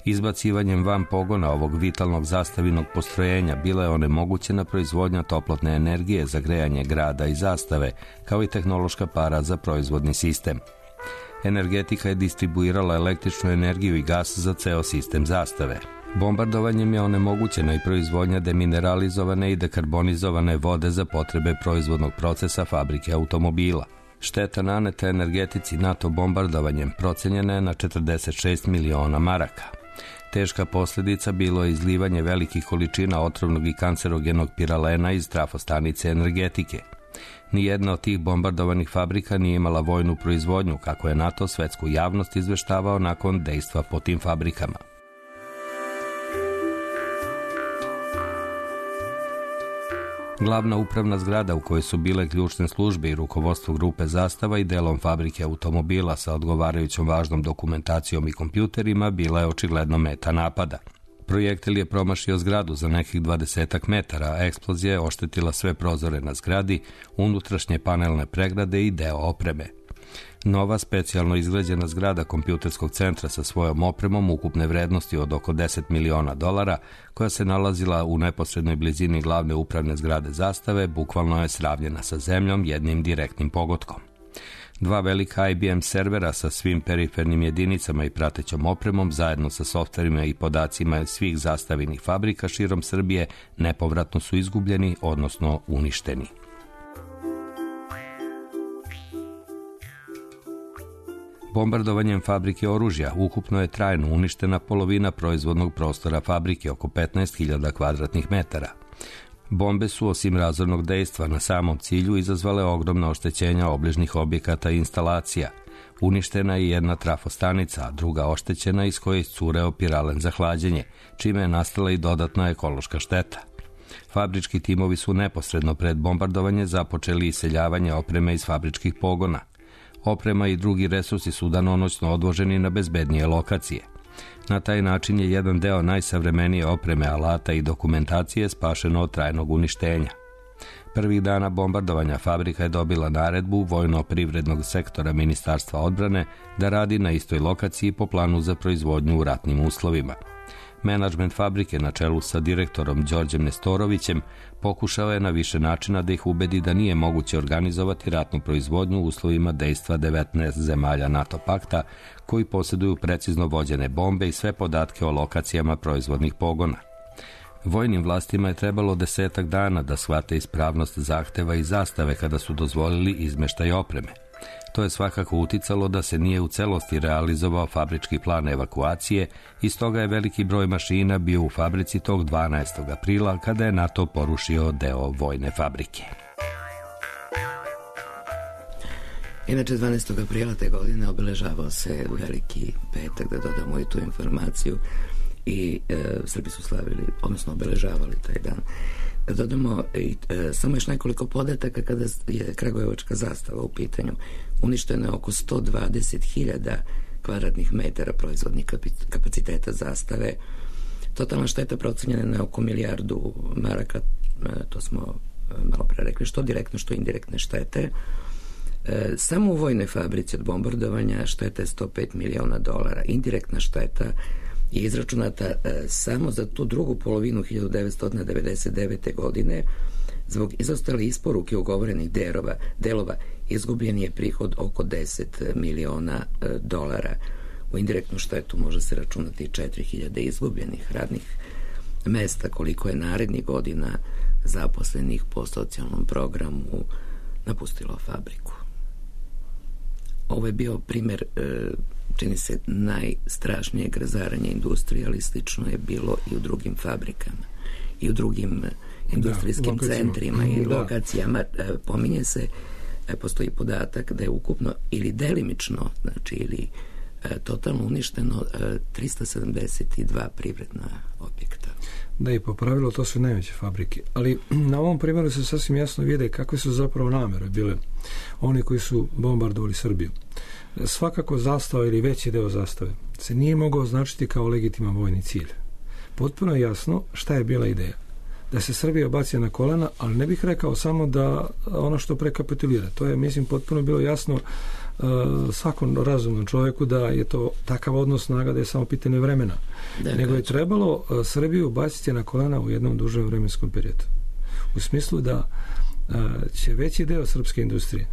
Izbacivanjem van pogona ovog vitalnog zastavinog postrojenja bila je onemogućena proizvodnja toplotne energije za grejanje grada i zastave, kao i tehnološka para za proizvodni sistem. Energetika je distribuirala električnu energiju i gas za ceo sistem zastave. Bombardovanjem je onemogućena i proizvodnja demineralizovane i dekarbonizovane vode za potrebe proizvodnog procesa fabrike automobila. Šteta naneta energetici NATO bombardovanjem procenjena je na četrdeset šest miliona maraka. Teška posljedica bilo je izlivanje velikih količina otrovnog i kancerogenog piralena iz trafostanice energetike. Nijedna od tih bombardovanih fabrika nije imala vojnu proizvodnju, kako je NATO svetsku javnost izveštavao nakon dejstva po tim fabrikama. Glavna upravna zgrada u kojoj su bile ključne službe i rukovodstvo grupe Zastava i delom fabrike automobila sa odgovarajućom važnom dokumentacijom i kompjuterima bila je očigledno meta napada. Projektil je promašio zgradu za nekih dvadesetak metara, a eksplozija je oštetila sve prozore na zgradi, unutrašnje panelne pregrade i deo opreme. Nova specijalno izgrađena zgrada kompjuterskog centra sa svojom opremom ukupne vrednosti od oko deset miliona dolara, koja se nalazila u neposrednoj blizini glavne upravne zgrade Zastave, bukvalno je sravnjena sa zemljom jednim direktnim pogodkom. Dva velika I B M servera sa svim perifernim jedinicama i pratećom opremom, zajedno sa softverima i podacima svih zastavinih fabrika širom Srbije, nepovratno su izgubljeni, odnosno uništeni. Bombardovanjem fabrike oružja ukupno je trajno uništena polovina proizvodnog prostora fabrike, oko petnaest hiljada kvadratnih metara. Bombe su, osim razornog dejstva na samom cilju, izazvale ogromna oštećenja obližnih objekata i instalacija. Uništena je jedna trafostanica, a druga oštećena iz koje je iscureo piralen za hlađenje, čime je nastala i dodatna ekološka šteta. Fabrički timovi su neposredno pred bombardovanje započeli iseljavanje opreme iz fabričkih pogona. Oprema i drugi resursi su danonoćno odvoženi na bezbednije lokacije. Na taj način je jedan deo najsavremenije opreme, alata i dokumentacije spašeno od trajnog uništenja. Prvih dana bombardovanja fabrika je dobila naredbu vojno-privrednog sektora Ministarstva odbrane da radi na istoj lokaciji po planu za proizvodnju u ratnim uslovima. Menadžment fabrike na čelu sa direktorom Đorđem Nestorovićem pokušao je na više načina da ih ubedi da nije moguće organizovati ratnu proizvodnju u uslovima dejstva devetnaest zemalja NATO pakta koji posjeduju precizno vođene bombe i sve podatke o lokacijama proizvodnih pogona. Vojnim vlastima je trebalo desetak dana da shvate ispravnost zahteva i zastave kada su dozvolili izmeštaj opreme. To je svakako uticalo da se nije u celosti realizovao fabrički plan evakuacije i stoga je veliki broj mašina bio u fabrici tog dvanaestog aprila kada je NATO porušio deo vojne fabrike. Inače, dvanaestog aprila te godine obeležavao se veliki petak, da dodamo i tu informaciju, i e, Srbi su slavili, odnosno obeležavali taj dan. Da dodamo i e, samo još nekoliko podataka kada je kragujevačka zastava u pitanju. Uništeno je oko sto dvadeset hiljada kvadratnih metara proizvodnih kapaciteta zastave. Totalna šteta procenjena na oko milijardu maraka, e, to smo e, malo pre rekli, što direktno, što indirektne štete. E, samo u vojnoj fabrici od bombardovanja šteta je sto pet miliona dolara. Indirektna šteta je izračunata e, samo za tu drugu polovinu hiljadu devetsto devedeset devete. godine. Zbog izostale isporuke ugovorenih delova, delova izgubljen je prihod oko deset miliona e, dolara. U indirektnu štetu može se računati četiri hiljade izgubljenih radnih mesta, koliko je narednih godina zaposlenih po socijalnom programu napustilo fabriku. Ovo je bio primjer, čini se, najstrašnijeg razaranja industrije, ali slično je bilo i u drugim fabrikama i u drugim industrijskim da, centrima i da. lokacijama. Pominje se, postoji podatak da je ukupno ili delimično, znači ili totalno uništeno trista sedamdeset dva privredna objekta. Da, i po pravilu to su najveće fabrike. Ali na ovom primjeru se sasvim jasno vide kakve su zapravo namere bile oni koji su bombardovali Srbiju. Svakako zastava ili veći deo zastave se nije mogao označiti kao legitiman vojni cilj. Potpuno je jasno šta je bila ideja. Da se Srbija baci na kolena, ali ne bih rekao samo da ono što prekapitulira. To je, mislim, potpuno bilo jasno uh, svakom razumnom čovjeku da je to takav odnos snaga da je samo pitanje vremena. Da, nego je trebalo uh, Srbiju baciti na kolena u jednom dužem vremenskom periodu. U smislu da uh, će veći deo srpske industrije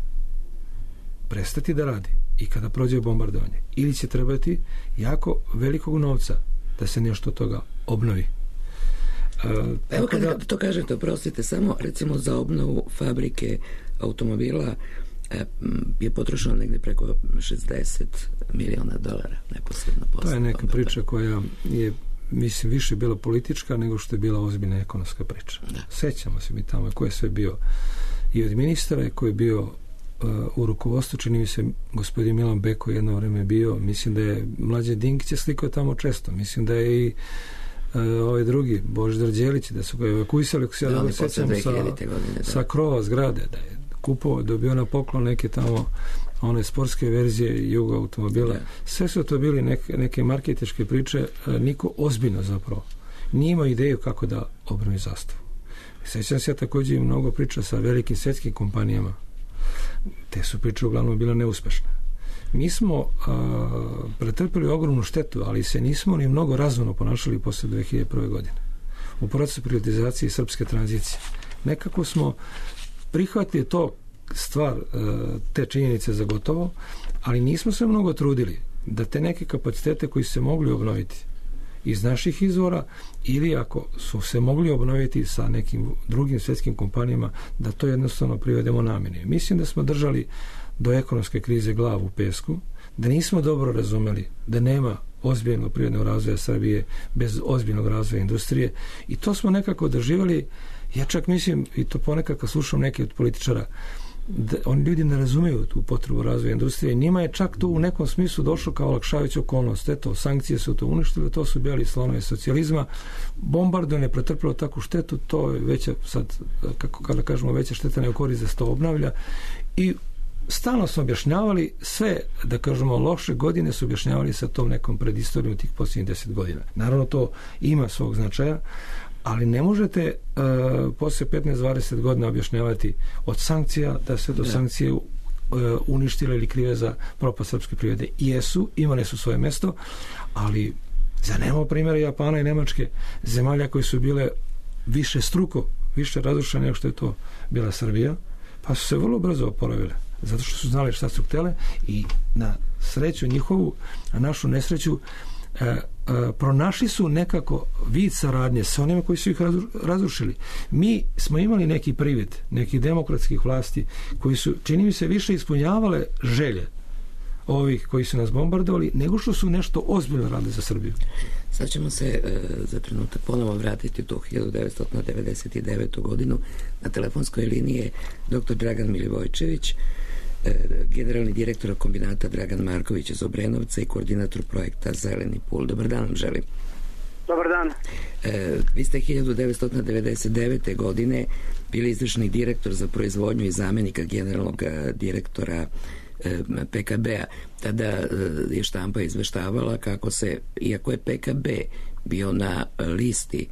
prestati da radi i kada prođe bombardovanje. Ili će trebati jako velikog novca da se nešto od toga obnovi. Uh, Evo kada da, to kažete, oprostite, samo recimo za obnovu fabrike automobila e, je potrošeno negdje preko šezdeset miliona dolara neposredno posle. To je neka priča koja je, mislim, više bila politička nego što je bila ozbiljna ekonomska priča. Da. Sećamo se mi tamo ko je sve bio i od ministara, ko je bio uh, u rukovodstvu, čini mi se gospodin Milan Beko jedno vreme bio, mislim da je Mlađe Dinkić je slikao tamo često, mislim da je i Uh, ovaj drugi, Božidar Đelić, da su ga evakuisali, ako se ja dobro sećam, sa, godine, sa krova zgrade, da je kupovao, dobio na poklon neke tamo one sportske verzije Jugo automobila. Da. Sve su to bili neke, neke marketičke priče, uh, niko ozbiljno zapravo nije imao ideju kako da obnovi zastavu. Sećam se ja također i mnogo priča sa velikim svjetskim kompanijama. Te su priče uglavnom bile neuspešne. Mi smo a, pretrpili ogromnu štetu, ali se nismo ni mnogo razumno ponašali posle dve hiljade prve. godine. U procesu privatizacije i srpske tranzicije. Nekako smo prihvatili to stvar, a, te činjenice za gotovo, ali nismo se mnogo trudili da te neke kapacitete koji se mogli obnoviti iz naših izvora ili ako su se mogli obnoviti sa nekim drugim svjetskim kompanijama, da to jednostavno privedemo namjeni. Mislim da smo držali do ekonomske krize glavu u pesku, da nismo dobro razumeli da nema ozbiljnog privrednog razvoja Srbije bez ozbiljnog razvoja industrije i to smo nekako doživjeli. Ja čak mislim, i to ponekad kad slušam neke od političara, da oni ljudi ne razumeju tu potrebu razvoja industrije. Njima je čak to u nekom smislu došlo kao olakšavajuća okolnost. Eto, sankcije su to uništile, to su bili slonovi socijalizma. Bombardovanje je pretrpilo takvu štetu, to je veća, sad, kako kada kažemo, veća šteta nego korist da se to obnavlja. I stalno smo objašnjavali sve, da kažemo, loše godine su objašnjavali sa tom nekom predistorijom tih posljednjih deset godina. Naravno, to ima svog značaja, ali ne možete uh, poslije petnaest dvadeset godina objašnjavati od sankcija da se do sankcije uh, uništile ili krive za propast srpske privrede. Jesu, imale su svoje mesto, ali za nemamo primjera Japana i Nemačke, zemalja koje su bile više struko, više razrušene nego što je to bila Srbija, pa su se vrlo brzo oporavile. Zato što su znali šta su htjele i na sreću njihovu, a našu nesreću, pronašli su nekako vid saradnje sa onima koji su ih razrušili. Mi smo imali neki privid nekih demokratskih vlasti koji su, čini mi se, više ispunjavale želje ovih koji su nas bombardovali nego što su nešto ozbiljno radili za Srbiju. Sad ćemo se e, za trenutak ponovo vratiti u tu hiljadu devetsto devedeset devetu godinu. Na telefonskoj liniji je doktor Dragan Milivojčević, generalni direktor kombinata Dragan Marković iz Obrenovca i koordinator projekta Zeleni pul. Dobar dan vam želim. Dobar dan. E, vi ste hiljadu devetsto devedeset devete godine bili izvršni direktor za proizvodnju i zamenika generalnog direktora e, P K B-a. Tada e, je štampa izveštavala kako se, iako je P K B bio na listi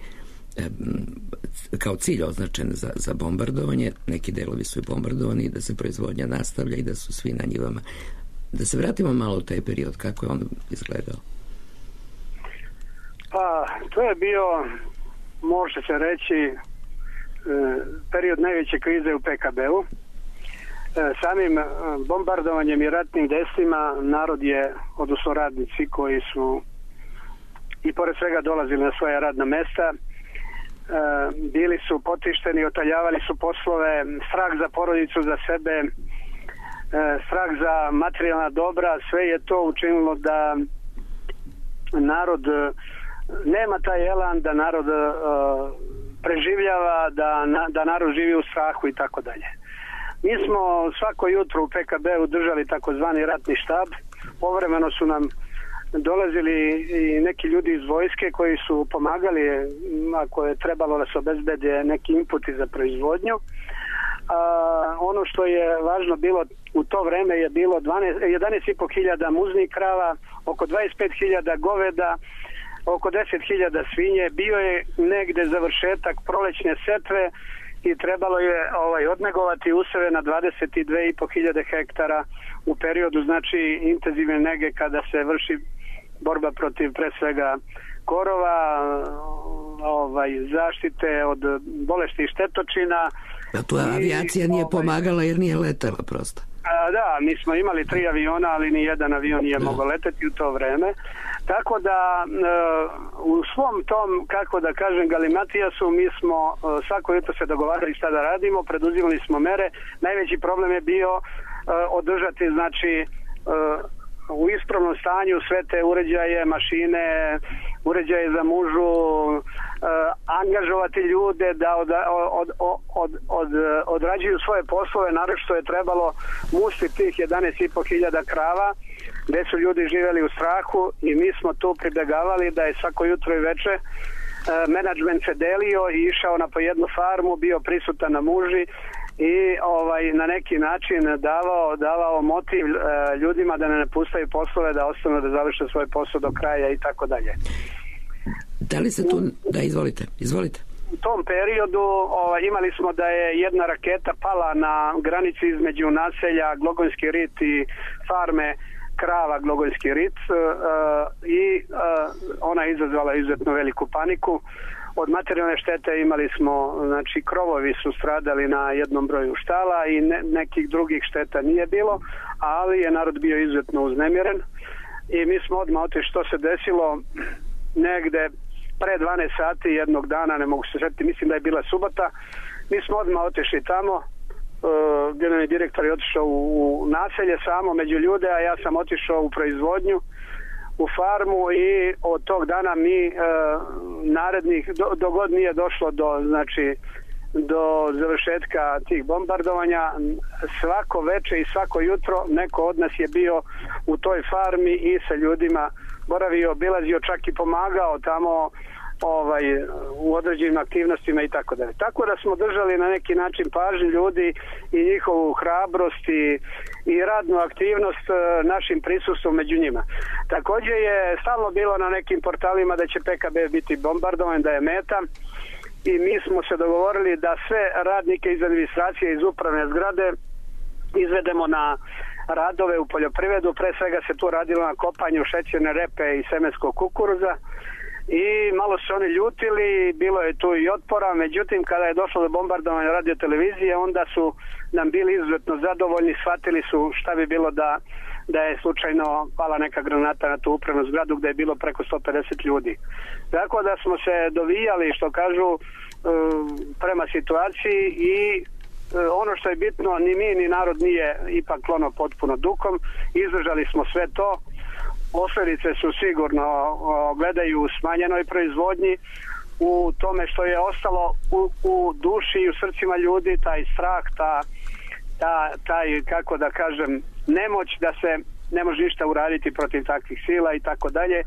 kao cilj označen za, za bombardovanje, neki delovi su i bombardovani i da se proizvodnja nastavlja i da su svi na njivama. Da se vratimo malo u taj period, kako je on izgledao? Pa, to je bio, može se reći, period najveće krize u P K B-u. Samim bombardovanjem i ratnim dejstvima narod je, odnosno radnici koji su i pored svega dolazili na svoja radna mesta, bili su potišteni, otaljavali su poslove, strah za porodicu, za sebe, strah za materijalna dobra, sve je to učinilo da narod nema taj elan, da narod preživljava, da, da narod živi u strahu i tako dalje. Mi smo svako jutro u P K B-u držali takozvani ratni štab. Povremeno su nam dolazili i neki ljudi iz vojske koji su pomagali ako je trebalo da se obezbede neki inputi za proizvodnju. A, ono što je važno bilo u to vreme je bilo jedanaest i po hiljada muznih krava, oko dvadeset pet hiljada goveda, oko deset hiljada svinje. Bio je negde završetak prolećne setve i trebalo je ovaj, odnegovati useve na dvadeset dve i po hiljade hektara u periodu, znači, intenzivne nege kada se vrši borba protiv pre svega korova, ovaj, zaštite od bolesti i štetočina. A tu avijacija i, nije ovaj, pomagala jer nije letala prosto. A, da, mi smo imali tri aviona, ali ni jedan avion nije mogao leteti u to vreme. Tako da u svom tom, kako da kažem, galimatijasu mi smo svako jutro se dogovarali šta da radimo, preduzimali smo mere. Najveći problem je bio održati, znači, u ispravnom stanju sve te uređaje, mašine, uređaje za mužu, angažovati ljude da od, od, od, od, od, odrađuju svoje poslove, naročito je trebalo musti tih jedanaest i po hiljada krava, gde su ljudi živjeli u strahu i mi smo tu pribegavali da je svako jutro i veče e, menadžment se delio i išao na po jednu farmu, bio prisutan na muži i ovaj na neki način davao, davao motiv e, ljudima da ne napustaju poslove, da ostanu da završe svoj posao do kraja i tako dalje. Da li se tu... Da, izvolite, izvolite. U tom periodu ovaj, imali smo da je jedna raketa pala na granici između naselja Glogonski rit i farme krava Glogonski rit uh, i uh, ona je izazvala izuzetno veliku paniku. Od materijalne štete imali smo, znači, krovovi su stradali na jednom broju štala i ne, nekih drugih šteta nije bilo, ali je narod bio izuzetno uznemiren i mi smo odmah otišli. Što se desilo negde pre dvanaest sati jednog dana, ne mogu se sjetiti, mislim da je bila subota, mi smo odmah otišli tamo. Uh, generalni direktor je otišao u, u naselje samo među ljude, a ja sam otišao u proizvodnju, u farmu i od tog dana mi uh, narednih, do, do god nije došlo do, znači, do završetka tih bombardovanja, svako veče i svako jutro neko od nas je bio u toj farmi i sa ljudima boravio, obilazio, čak i pomagao tamo ovaj, u određenim aktivnostima i tako dalje. Tako da smo držali na neki način pažnju ljudi i njihovu hrabrost i, i radnu aktivnost našim prisustvom među njima. Također je stalno bilo na nekim portalima da će P K B biti bombardovan, da je meta i mi smo se dogovorili da sve radnike iz administracije, iz upravne zgrade izvedemo na radove u poljoprivredu. Pre svega se tu radilo na kopanju šećerne repe i semenskog kukuruza i malo su oni ljutili, bilo je tu i otpora, međutim kada je došlo do bombardovanja radio televizije, onda su nam bili izuzetno zadovoljni, shvatili su šta bi bilo da da je slučajno pala neka granata na tu upravnu zgradu gdje je bilo preko sto pedeset ljudi. Tako da smo se dovijali, što kažu, prema situaciji i ono što je bitno, ni mi ni narod nije ipak klono potpuno dukom, izdržali smo sve to. Posljedice su sigurno gledaju u smanjenoj proizvodnji, u tome što je ostalo u, u duši i u srcima ljudi, taj strah, ta, ta, taj, kako da kažem, nemoć da se ne može ništa uraditi protiv takvih sila i tako dalje,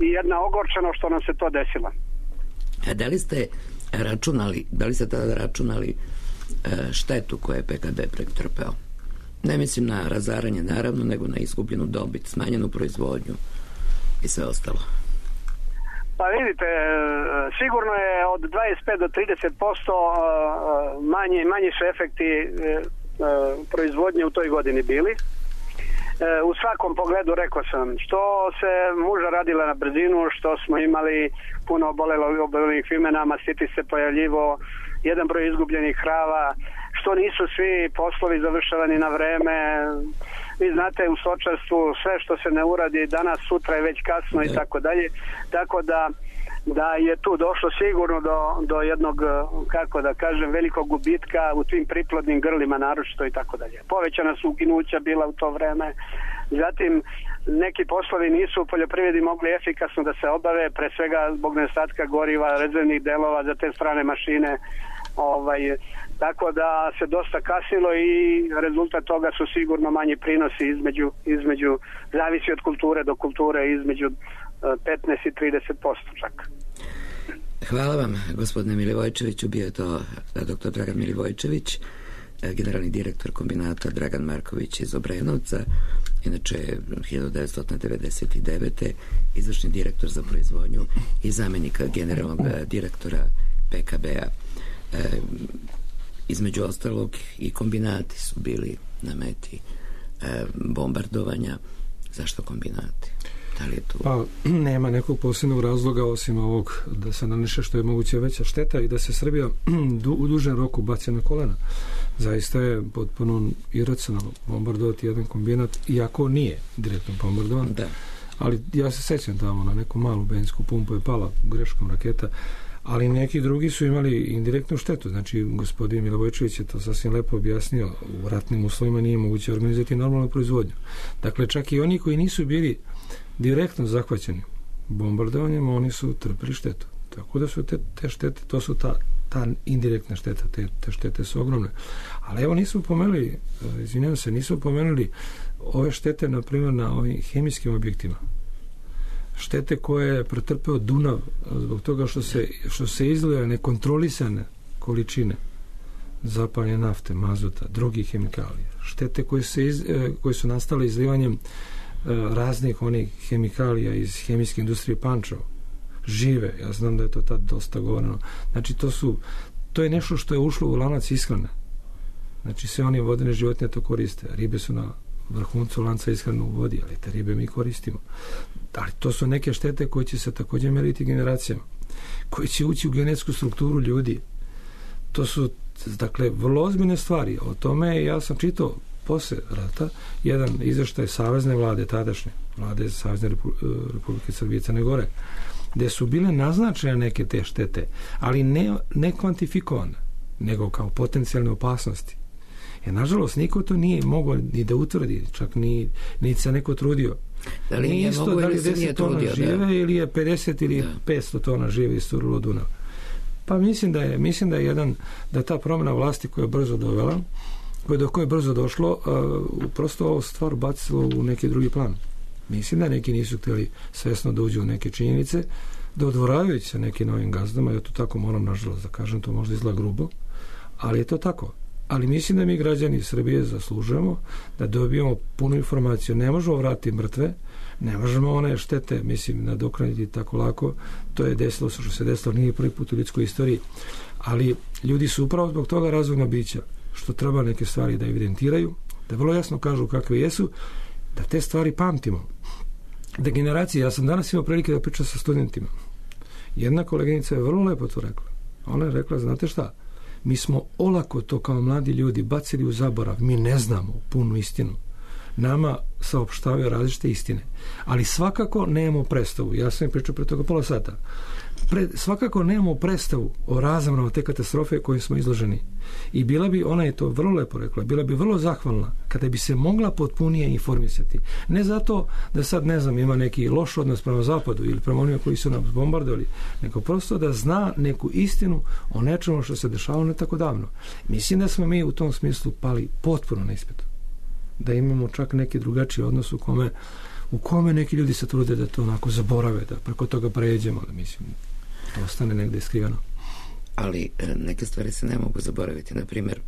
i jedna ogorčeno što nam se to desilo. A da li ste računali, da li ste tada računali štetu koje je P K B pretrpeo? Ne mislim na razaranje naravno, nego na izgubljenu dobit, smanjenu proizvodnju i sve ostalo. Pa vidite, sigurno je od dvadeset pet do trideset posto manji, manji su efekti proizvodnje u toj godini bili. U svakom pogledu, rekao sam, što se muža radila na brzinu, što smo imali puno obolelih imena, mastiti se pojavljivo, jedan broj izgubljenih krava, što nisu svi poslovi završavani na vreme. Vi znate, u stočarstvu sve što se ne uradi danas, sutra je već kasno i tako dalje. Tako da, da je tu došlo sigurno do, do jednog, kako da kažem, velikog gubitka u tim priplodnim grlima naročito i tako dalje. Povećana su uginuća bila u to vreme. Zatim, neki poslovi nisu u poljoprivredi mogli efikasno da se obave, pre svega zbog nedostatka goriva, rezervnih delova za te strane mašine. Ovaj, tako da se dosta kasnilo i rezultat toga su sigurno manji prinosi između, između zavisi od kulture do kulture, između petnaest i trideset posto čak. Hvala vam, gospodine Milivojčeviću. Bio je to doktor Dragan Milivojčević, generalni direktor kombinata Dragan Marković iz Obrenovca, inače hiljadu devetsto devedeset devete izvršni direktor za proizvodnju i zamjenika generalnog direktora P K B-a. E, između ostalog i kombinati su bili na meti e, bombardovanja. Zašto kombinati? Da li je tu... Pa nema nekog posebnog razloga osim ovog da se naneše što je moguće veća šteta i da se Srbija du, u dužem roku baci na kolena. Zaista je potpuno iracionalno bombardovati jedan kombinat, iako nije direktno bombardovan. Da. Ali ja se sećam tamo na neku malu benzinsku pumpu je pala greškom raketa, ali neki drugi su imali indirektnu štetu. Znači, gospodin Milivojčević je to sasvim lepo objasnio. U ratnim uslovima nije moguće organizati normalnu proizvodnju. Dakle, čak i oni koji nisu bili direktno zahvaćeni bombardovanjem, oni su trpili štetu. Tako da su te, te štete, to su ta, ta indirektna šteta, te, te štete su ogromne. Ali evo nismo pomenuli, izvinjam se, nismo pomenuli ove štete, na primjer, na ovim hemijskim objektima. Štete koje je pretrpeo Dunav zbog toga što se, što se izlile nekontrolisane količine zapaljene nafte, mazuta, drugih hemikalija. Štete koje, se iz, koje su nastale izlivanjem raznih onih hemikalija iz hemijske industrije Pančevo. Žive, ja znam da je to tad dosta govoreno. Znači, to su, to je nešto što je ušlo u lanac ishrane. Znači, sve one vodene životinje to koriste. Ribe su na vrhuncu lanca ishrane u vodi, ali te ribe mi koristimo. Ali to su neke štete koje će se također meriti generacijama, koje će ući u genetsku strukturu ljudi. To su, dakle, vrlo ozbiljne stvari. O tome ja sam čitao posle rata jedan izveštaj savezne vlade, tadašnje vlade Savezne Republike Srbije i Crne Gore, gde su bile naznačene neke te štete, ali ne, ne kvantifikovane, nego kao potencijalne opasnosti. Jer, nažalost, niko to nije mogao ni da utvrdi, čak ni, ni se neko trudio. Da li nije isto da li deset tona trudio, žive da. ili je pedeset ili da. petsto tona žive isturilo Dunav. Pa mislim da je, mislim da je jedan, da ta promjena vlasti koja je brzo dovela, koje do koje je brzo došlo, uh, prosto ovo stvar bacilo u neki drugi plan. Mislim da neki nisu htjeli svesno da uđu u neke činjenice, da odvoravajući se neki novim gazdama, ja to tako moram nažalost da kažem, to možda izgleda grubo, ali je to tako. Ali mislim da mi građani Srbije zaslužujemo da dobijemo punu informaciju. Ne možemo vratiti mrtve, ne možemo one štete, mislim, nadoknaditi tako lako. To je desilo što se desilo, nije prvi put u ljudskoj istoriji. Ali ljudi su upravo zbog toga razumna bića, što treba neke stvari da evidentiraju, da vrlo jasno kažu kakve jesu, da te stvari pamtimo. Da generacije, ja sam danas imao prilike da pričam sa studentima. Jedna koleginica je vrlo lepo to rekla. Ona je rekla, znate šta, mi smo olako to kao mladi ljudi bacili u zaborav, mi ne znamo punu istinu. nama saopštavaju različite istine. Ali svakako nemamo predstavu. Ja sam im pričao pre toga pola sata. Pre, svakako nemamo predstavu o razmrama te katastrofe kojim smo izloženi. I bila bi, ona je to vrlo lepo rekla, bila bi vrlo zahvalna kada bi se mogla potpunije informisati. Ne zato da sad, ne znam, ima neki loš odnos prema zapadu ili prema onima koji su nam bombardovali, nego prosto da zna neku istinu o nečemu što se dešavalo ne tako davno. Mislim da smo mi u tom smislu pali potpuno na ispitu. Da imamo čak neki drugačiji odnos u kome, u kome neki ljudi se trude da to onako zaborave, da preko toga pređemo, da mislim, to ostane negde skriveno. Ali neke stvari se ne mogu zaboraviti. Na primjer,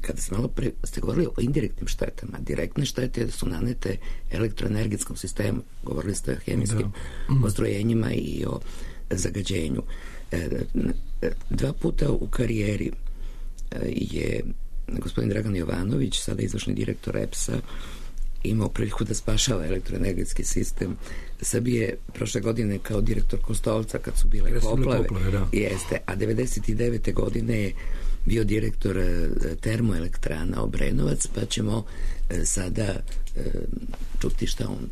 kada ste malo pre, ste govorili o indirektnim štetama, direktne štete su nanete elektroenergetskom sistemu. Govorili ste o hemijskim da. postrojenjima i o zagađenju. Dva puta u karijeri je gospodin Dragan Jovanović, sada izvršni direktor E P S-a, imao priliku da spašava elektroenergetski sistem Srbije prošle godine kao direktor Kostolca kad su bile poplave. poplave da. Jeste, a devedeset devete godine je bio direktor termoelektrana Obrenovac, pa ćemo sada čuti šta on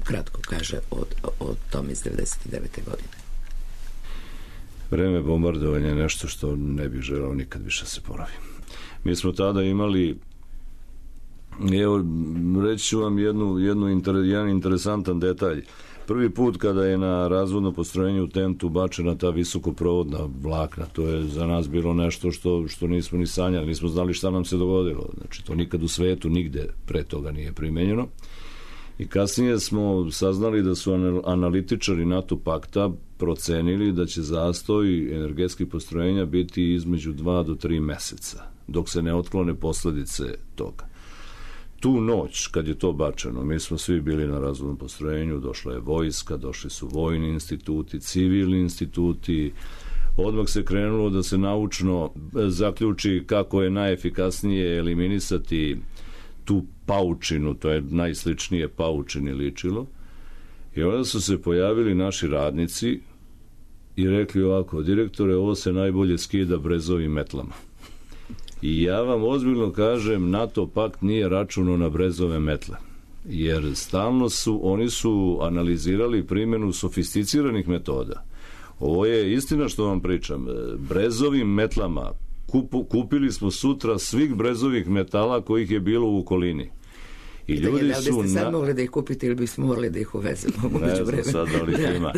kratko kaže o, o tom iz devedeset devete godine. Vreme bombardovanja je nešto što ne bih želeo nikad više se ponovi. Mi smo tada imali, evo, reći ću vam jednu, jednu inter, jedan interesantan detalj. Prvi put kada je na razvodno postrojenje u Tentu bačena ta visokoprovodna vlakna, to je za nas bilo nešto što, što nismo ni sanjali, nismo znali šta nam se dogodilo. Znači, to nikad u svetu nigde pre toga nije primenjeno. I kasnije smo saznali da su analitičari NATO pakta procenili da će zastoj energetskih postrojenja biti između dva do tri meseca, dok se ne otklone posledice toga. Tu noć, kad je to bačeno, mi smo svi bili na razvodnom postrojenju, došla je vojska, došli su vojni instituti, civilni instituti, odmah se krenulo da se naučno zaključi kako je najefikasnije eliminisati tu paučinu, to je najsličnije paučini ličilo. I onda su se pojavili naši radnici i rekli ovako: direktore, ovo se najbolje skida brezovim metlama. I ja vam ozbiljno kažem, NATO pakt nije računao na brezove metle. Jer stalno su, oni su analizirali primjenu sofisticiranih metoda. Ovo je istina što vam pričam. Brezovim metlama kupu, kupili smo sutra svih brezovih metala kojih je bilo u okolini. I ljudi da, da su... Da biste sad na... mogli da ih kupite ili bismo morali da ih uvezemo? Ne znam sad da li ih ima.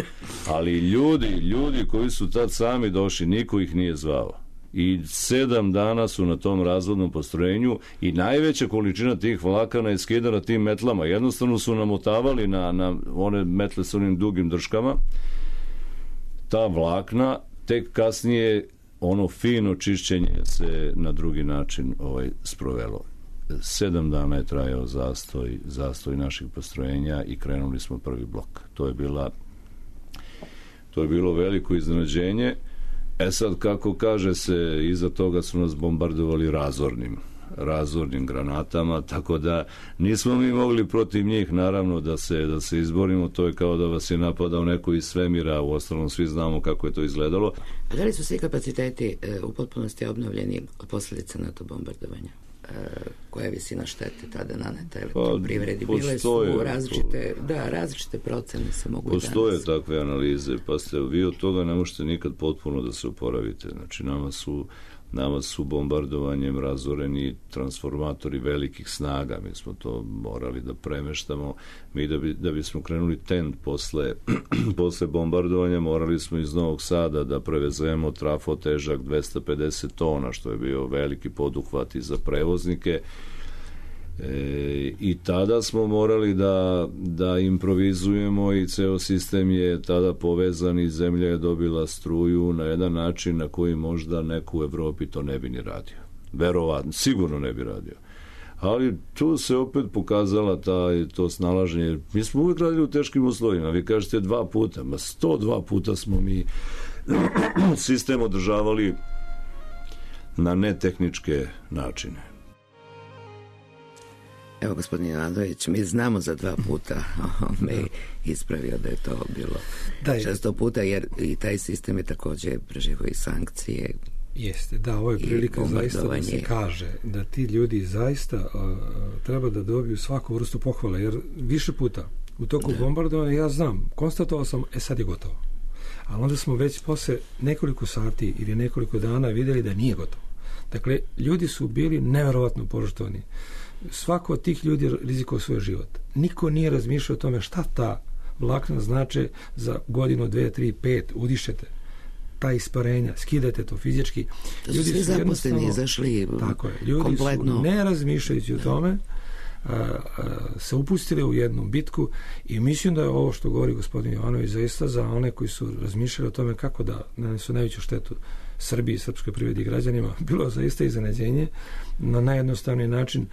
Ali ljudi, ljudi koji su tad sami došli, niko ih nije zvao. I sedam dana su na tom razvodnom postrojenju i najveća količina tih vlakana je skidana tim metlama. Jednostavno su namotavali na, na one metle s onim dugim drškama. Ta vlakna, tek kasnije ono fino čišćenje se na drugi način ovaj, sprovelo. Sedam dana je trajao zastoj, zastoj naših postrojenja i krenuli smo prvi blok. To je bila to je bilo veliko iznenađenje. E sad, kako kaže se, iza toga su nas bombardovali razornim razornim granatama, tako da nismo mi mogli protiv njih naravno da se, da se izborimo. To je kao da vas je napadao neko iz svemira, u ostalom svi znamo kako je to izgledalo. A da li su svi kapaciteti e, u potpunosti obnovljeni od posljedica NATO bombardovanja? E, koja je visina štete tada naneta elektroprivredi? Pa, bile su različite, da, različite procene se mogu i danas. Postoje takve analize, pa ste vi od toga ne možete nikad potpuno da se oporavite. Znači, nama su nama su bombardovanjem razoreni transformatori velikih snaga. Mi smo to morali da premeštamo. Mi da, bi, da bismo krenuli Tent posle, posle bombardovanja, morali smo iz Novog Sada da prevezemo trafo težak dvesta pedeset tona, što je bio veliki poduhvat i za prevoznike. E, i tada smo morali da, da improvizujemo i ceo sistem je tada povezan i zemlja je dobila struju na jedan način na koji možda neko u Evropi to ne bi ni radio. Verovatno, sigurno ne bi radio. Ali tu se opet pokazala ta, to snalaženje. Mi smo uvijek radili u teškim uslovima. Vi kažete dva puta, ma sto dva puta smo mi sistem održavali na netehničke načine. Evo, gospodin Jovanović, mi znamo za dva puta, on me ispravio da je to bilo šesto puta, jer i taj sistem je također preživio i sankcije Jeste, da, ovo je prilika zaista da se kaže da ti ljudi zaista uh, treba da dobiju svaku vrstu pohvale, jer više puta u toku da. bombardovanja ja znam, konstatovao sam, e sad je gotovo. Ali onda smo već posle nekoliko sati ili nekoliko dana vidjeli da nije gotovo. Dakle, ljudi su bili neverovatno požrtvovani. Svako od tih ljudi rizikovao svoj život. Niko nije razmišljao o tome šta ta vlakna znače za godinu, dve, tri, pet, udišete ta isparenja, skidate to fizički. To su ljudi svi zaposleni izašli tako je, ljudi kompletno. Su ne razmišljajući o tome a, a, se upustili u jednu bitku i mislim da je ovo što govori gospodin Jovanović zaista za one koji su razmišljali o tome kako da nanesu najveću štetu Srbiji, srpskoj privredi i građanima, bilo zaista iznenađenje. Na najjednostavniji način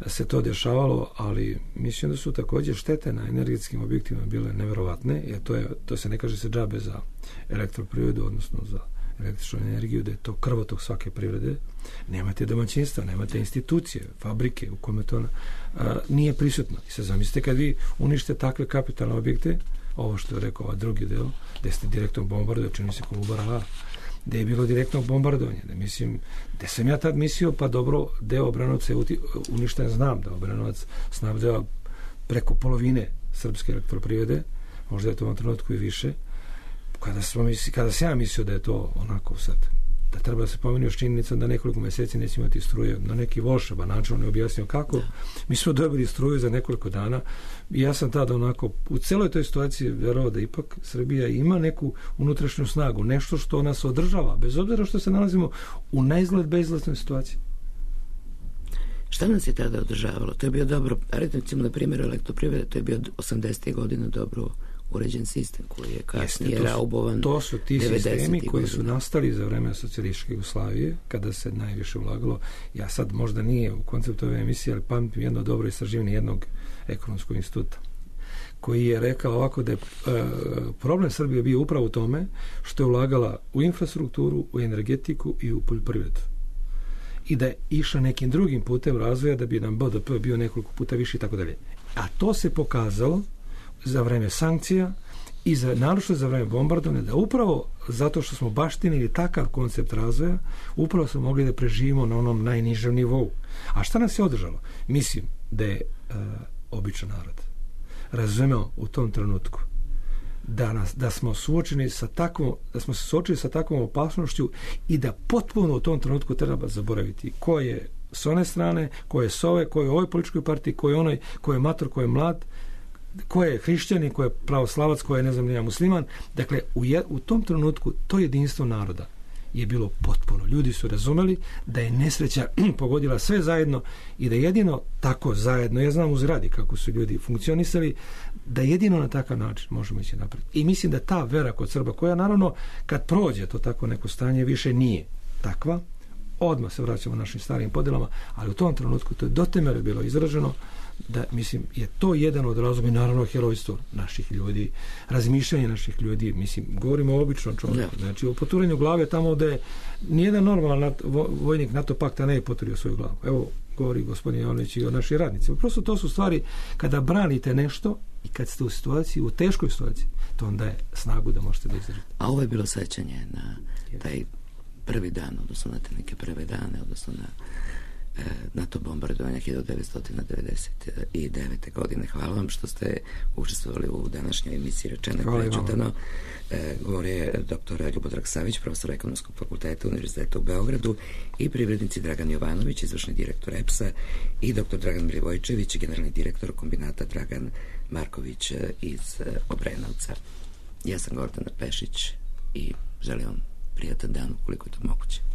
se to dešavalo, ali mislim da su također štete na energetskim objektima bile neverovatne, jer to, je, to se ne kaže se džabe za elektroprivredu, odnosno za električnu energiju, da je to krvotok svake privrede. Nemate domaćinstva, nemate institucije, fabrike u kome to a, nije prisutno. I sad zamislite kad vi unište takve kapitalne objekte, ovo što je rekao ovaj drugi deo, gde ste direktno bombardovali, čini se Kolubara, gde je bilo direktno bombardovanje. Da mislim, gde sam ja tad mislio, pa dobro, deo Obranovca je uništen, znam da Obranovac snabdeva preko polovine srpske elektroprivrede, možda je to u ovom trenutku i više. Kada, smo misli, kada sam ja mislio da je to onako sad, da treba da se pomeni još činjenicom da nekoliko meseci neće imati struje, na neki volšeban način, on je objasnio kako. Mi smo dobili struju za nekoliko dana i ja sam tada onako u celoj toj situaciji verovao da ipak Srbija ima neku unutrašnju snagu, nešto što nas održava, bez obzira što se nalazimo u neizgled bezizlaznoj situaciji. Šta nas je tada održavalo? To je bio dobro, recimo na primjer elektroprivrede, to je bio osamdesetih godina dobro uređen sistem koji je kasnije Jeste, to su, raubovan. To su ti sistemi koji su nastali za vreme socijalističke Jugoslavije, kada se najviše ulagalo. Ja sad možda nije u konceptu ove emisije, ali pamtim jedno dobro istraživanje jednog ekonomskog instituta koji je rekao ovako da je e, problem Srbije bio upravo u tome što je ulagala u infrastrukturu, u energetiku i u poljoprivredu. I da je išla nekim drugim putem razvoja da bi nam B D P bio nekoliko puta više i tako dalje. A to se pokazalo za vreme sankcija i za, naročito za vreme bombardovanja, da upravo zato što smo baštinili takav koncept razvoja, upravo smo mogli da preživimo na onom najnižem nivou. A šta nas je održalo? Mislim da je uh, običan narod razumeo u tom trenutku da, nas, da smo suočeni sa takvom, da smo se suočili sa takvom opasnošću i da potpuno u tom trenutku treba zaboraviti ko je s one strane, ko je s ove, ko je u ovoj političkoj partiji, ko je onaj, ko je mator, ko je mlad, ko je hrišćanin, ko je pravoslavac, ko je ne znam nija musliman. Dakle, u, je, u tom trenutku to jedinstvo naroda je bilo potpuno. Ljudi su razumeli da je nesreća pogodila sve zajedno i da jedino tako zajedno, ja znam u zgradi kako su ljudi funkcionisali, da jedino na takav način možemo ići napred. I mislim da ta vera kod Srba, koja naravno kad prođe to tako neko stanje više nije takva, odmah se vraćamo našim starim podelama, ali u tom trenutku to je do te mere bilo izraženo da, mislim, je to jedan od razloga i naravno herojstvo naših ljudi, razmišljanje naših ljudi, mislim, govorimo o običnom čovjeku, znači o poturanju glave tamo gde nijedan normalan vojnik NATO pakta ne je poturio svoju glavu. Evo, govori gospodin Jovanović i o našim radnicima. Prosto to su stvari kada branite nešto i kad ste u situaciji, u teškoj situaciji, to onda je snagu da možete da izdržite. A ovo je bilo sećanje na taj prvi dan, odnosno na te neke prve dane, odnosno na na to bombardovanje hiljadu devetsto devedeset devete. godine. Hvala vam što ste učestvovali u današnjoj emisiji Rečeno i prečutano. E, govori je doktor Ljubodrag Savić, profesor Ekonomskog fakulteta Univerziteta u Beogradu, i privrednici Dragan Jovanović, izvršni direktor E P S-a, i doktor Dragan Milivojčević, generalni direktor kombinata Dragan Marković iz Obrenovca. Ja sam Gordana Pešić i želim vam prijatan dan ukoliko je to moguće.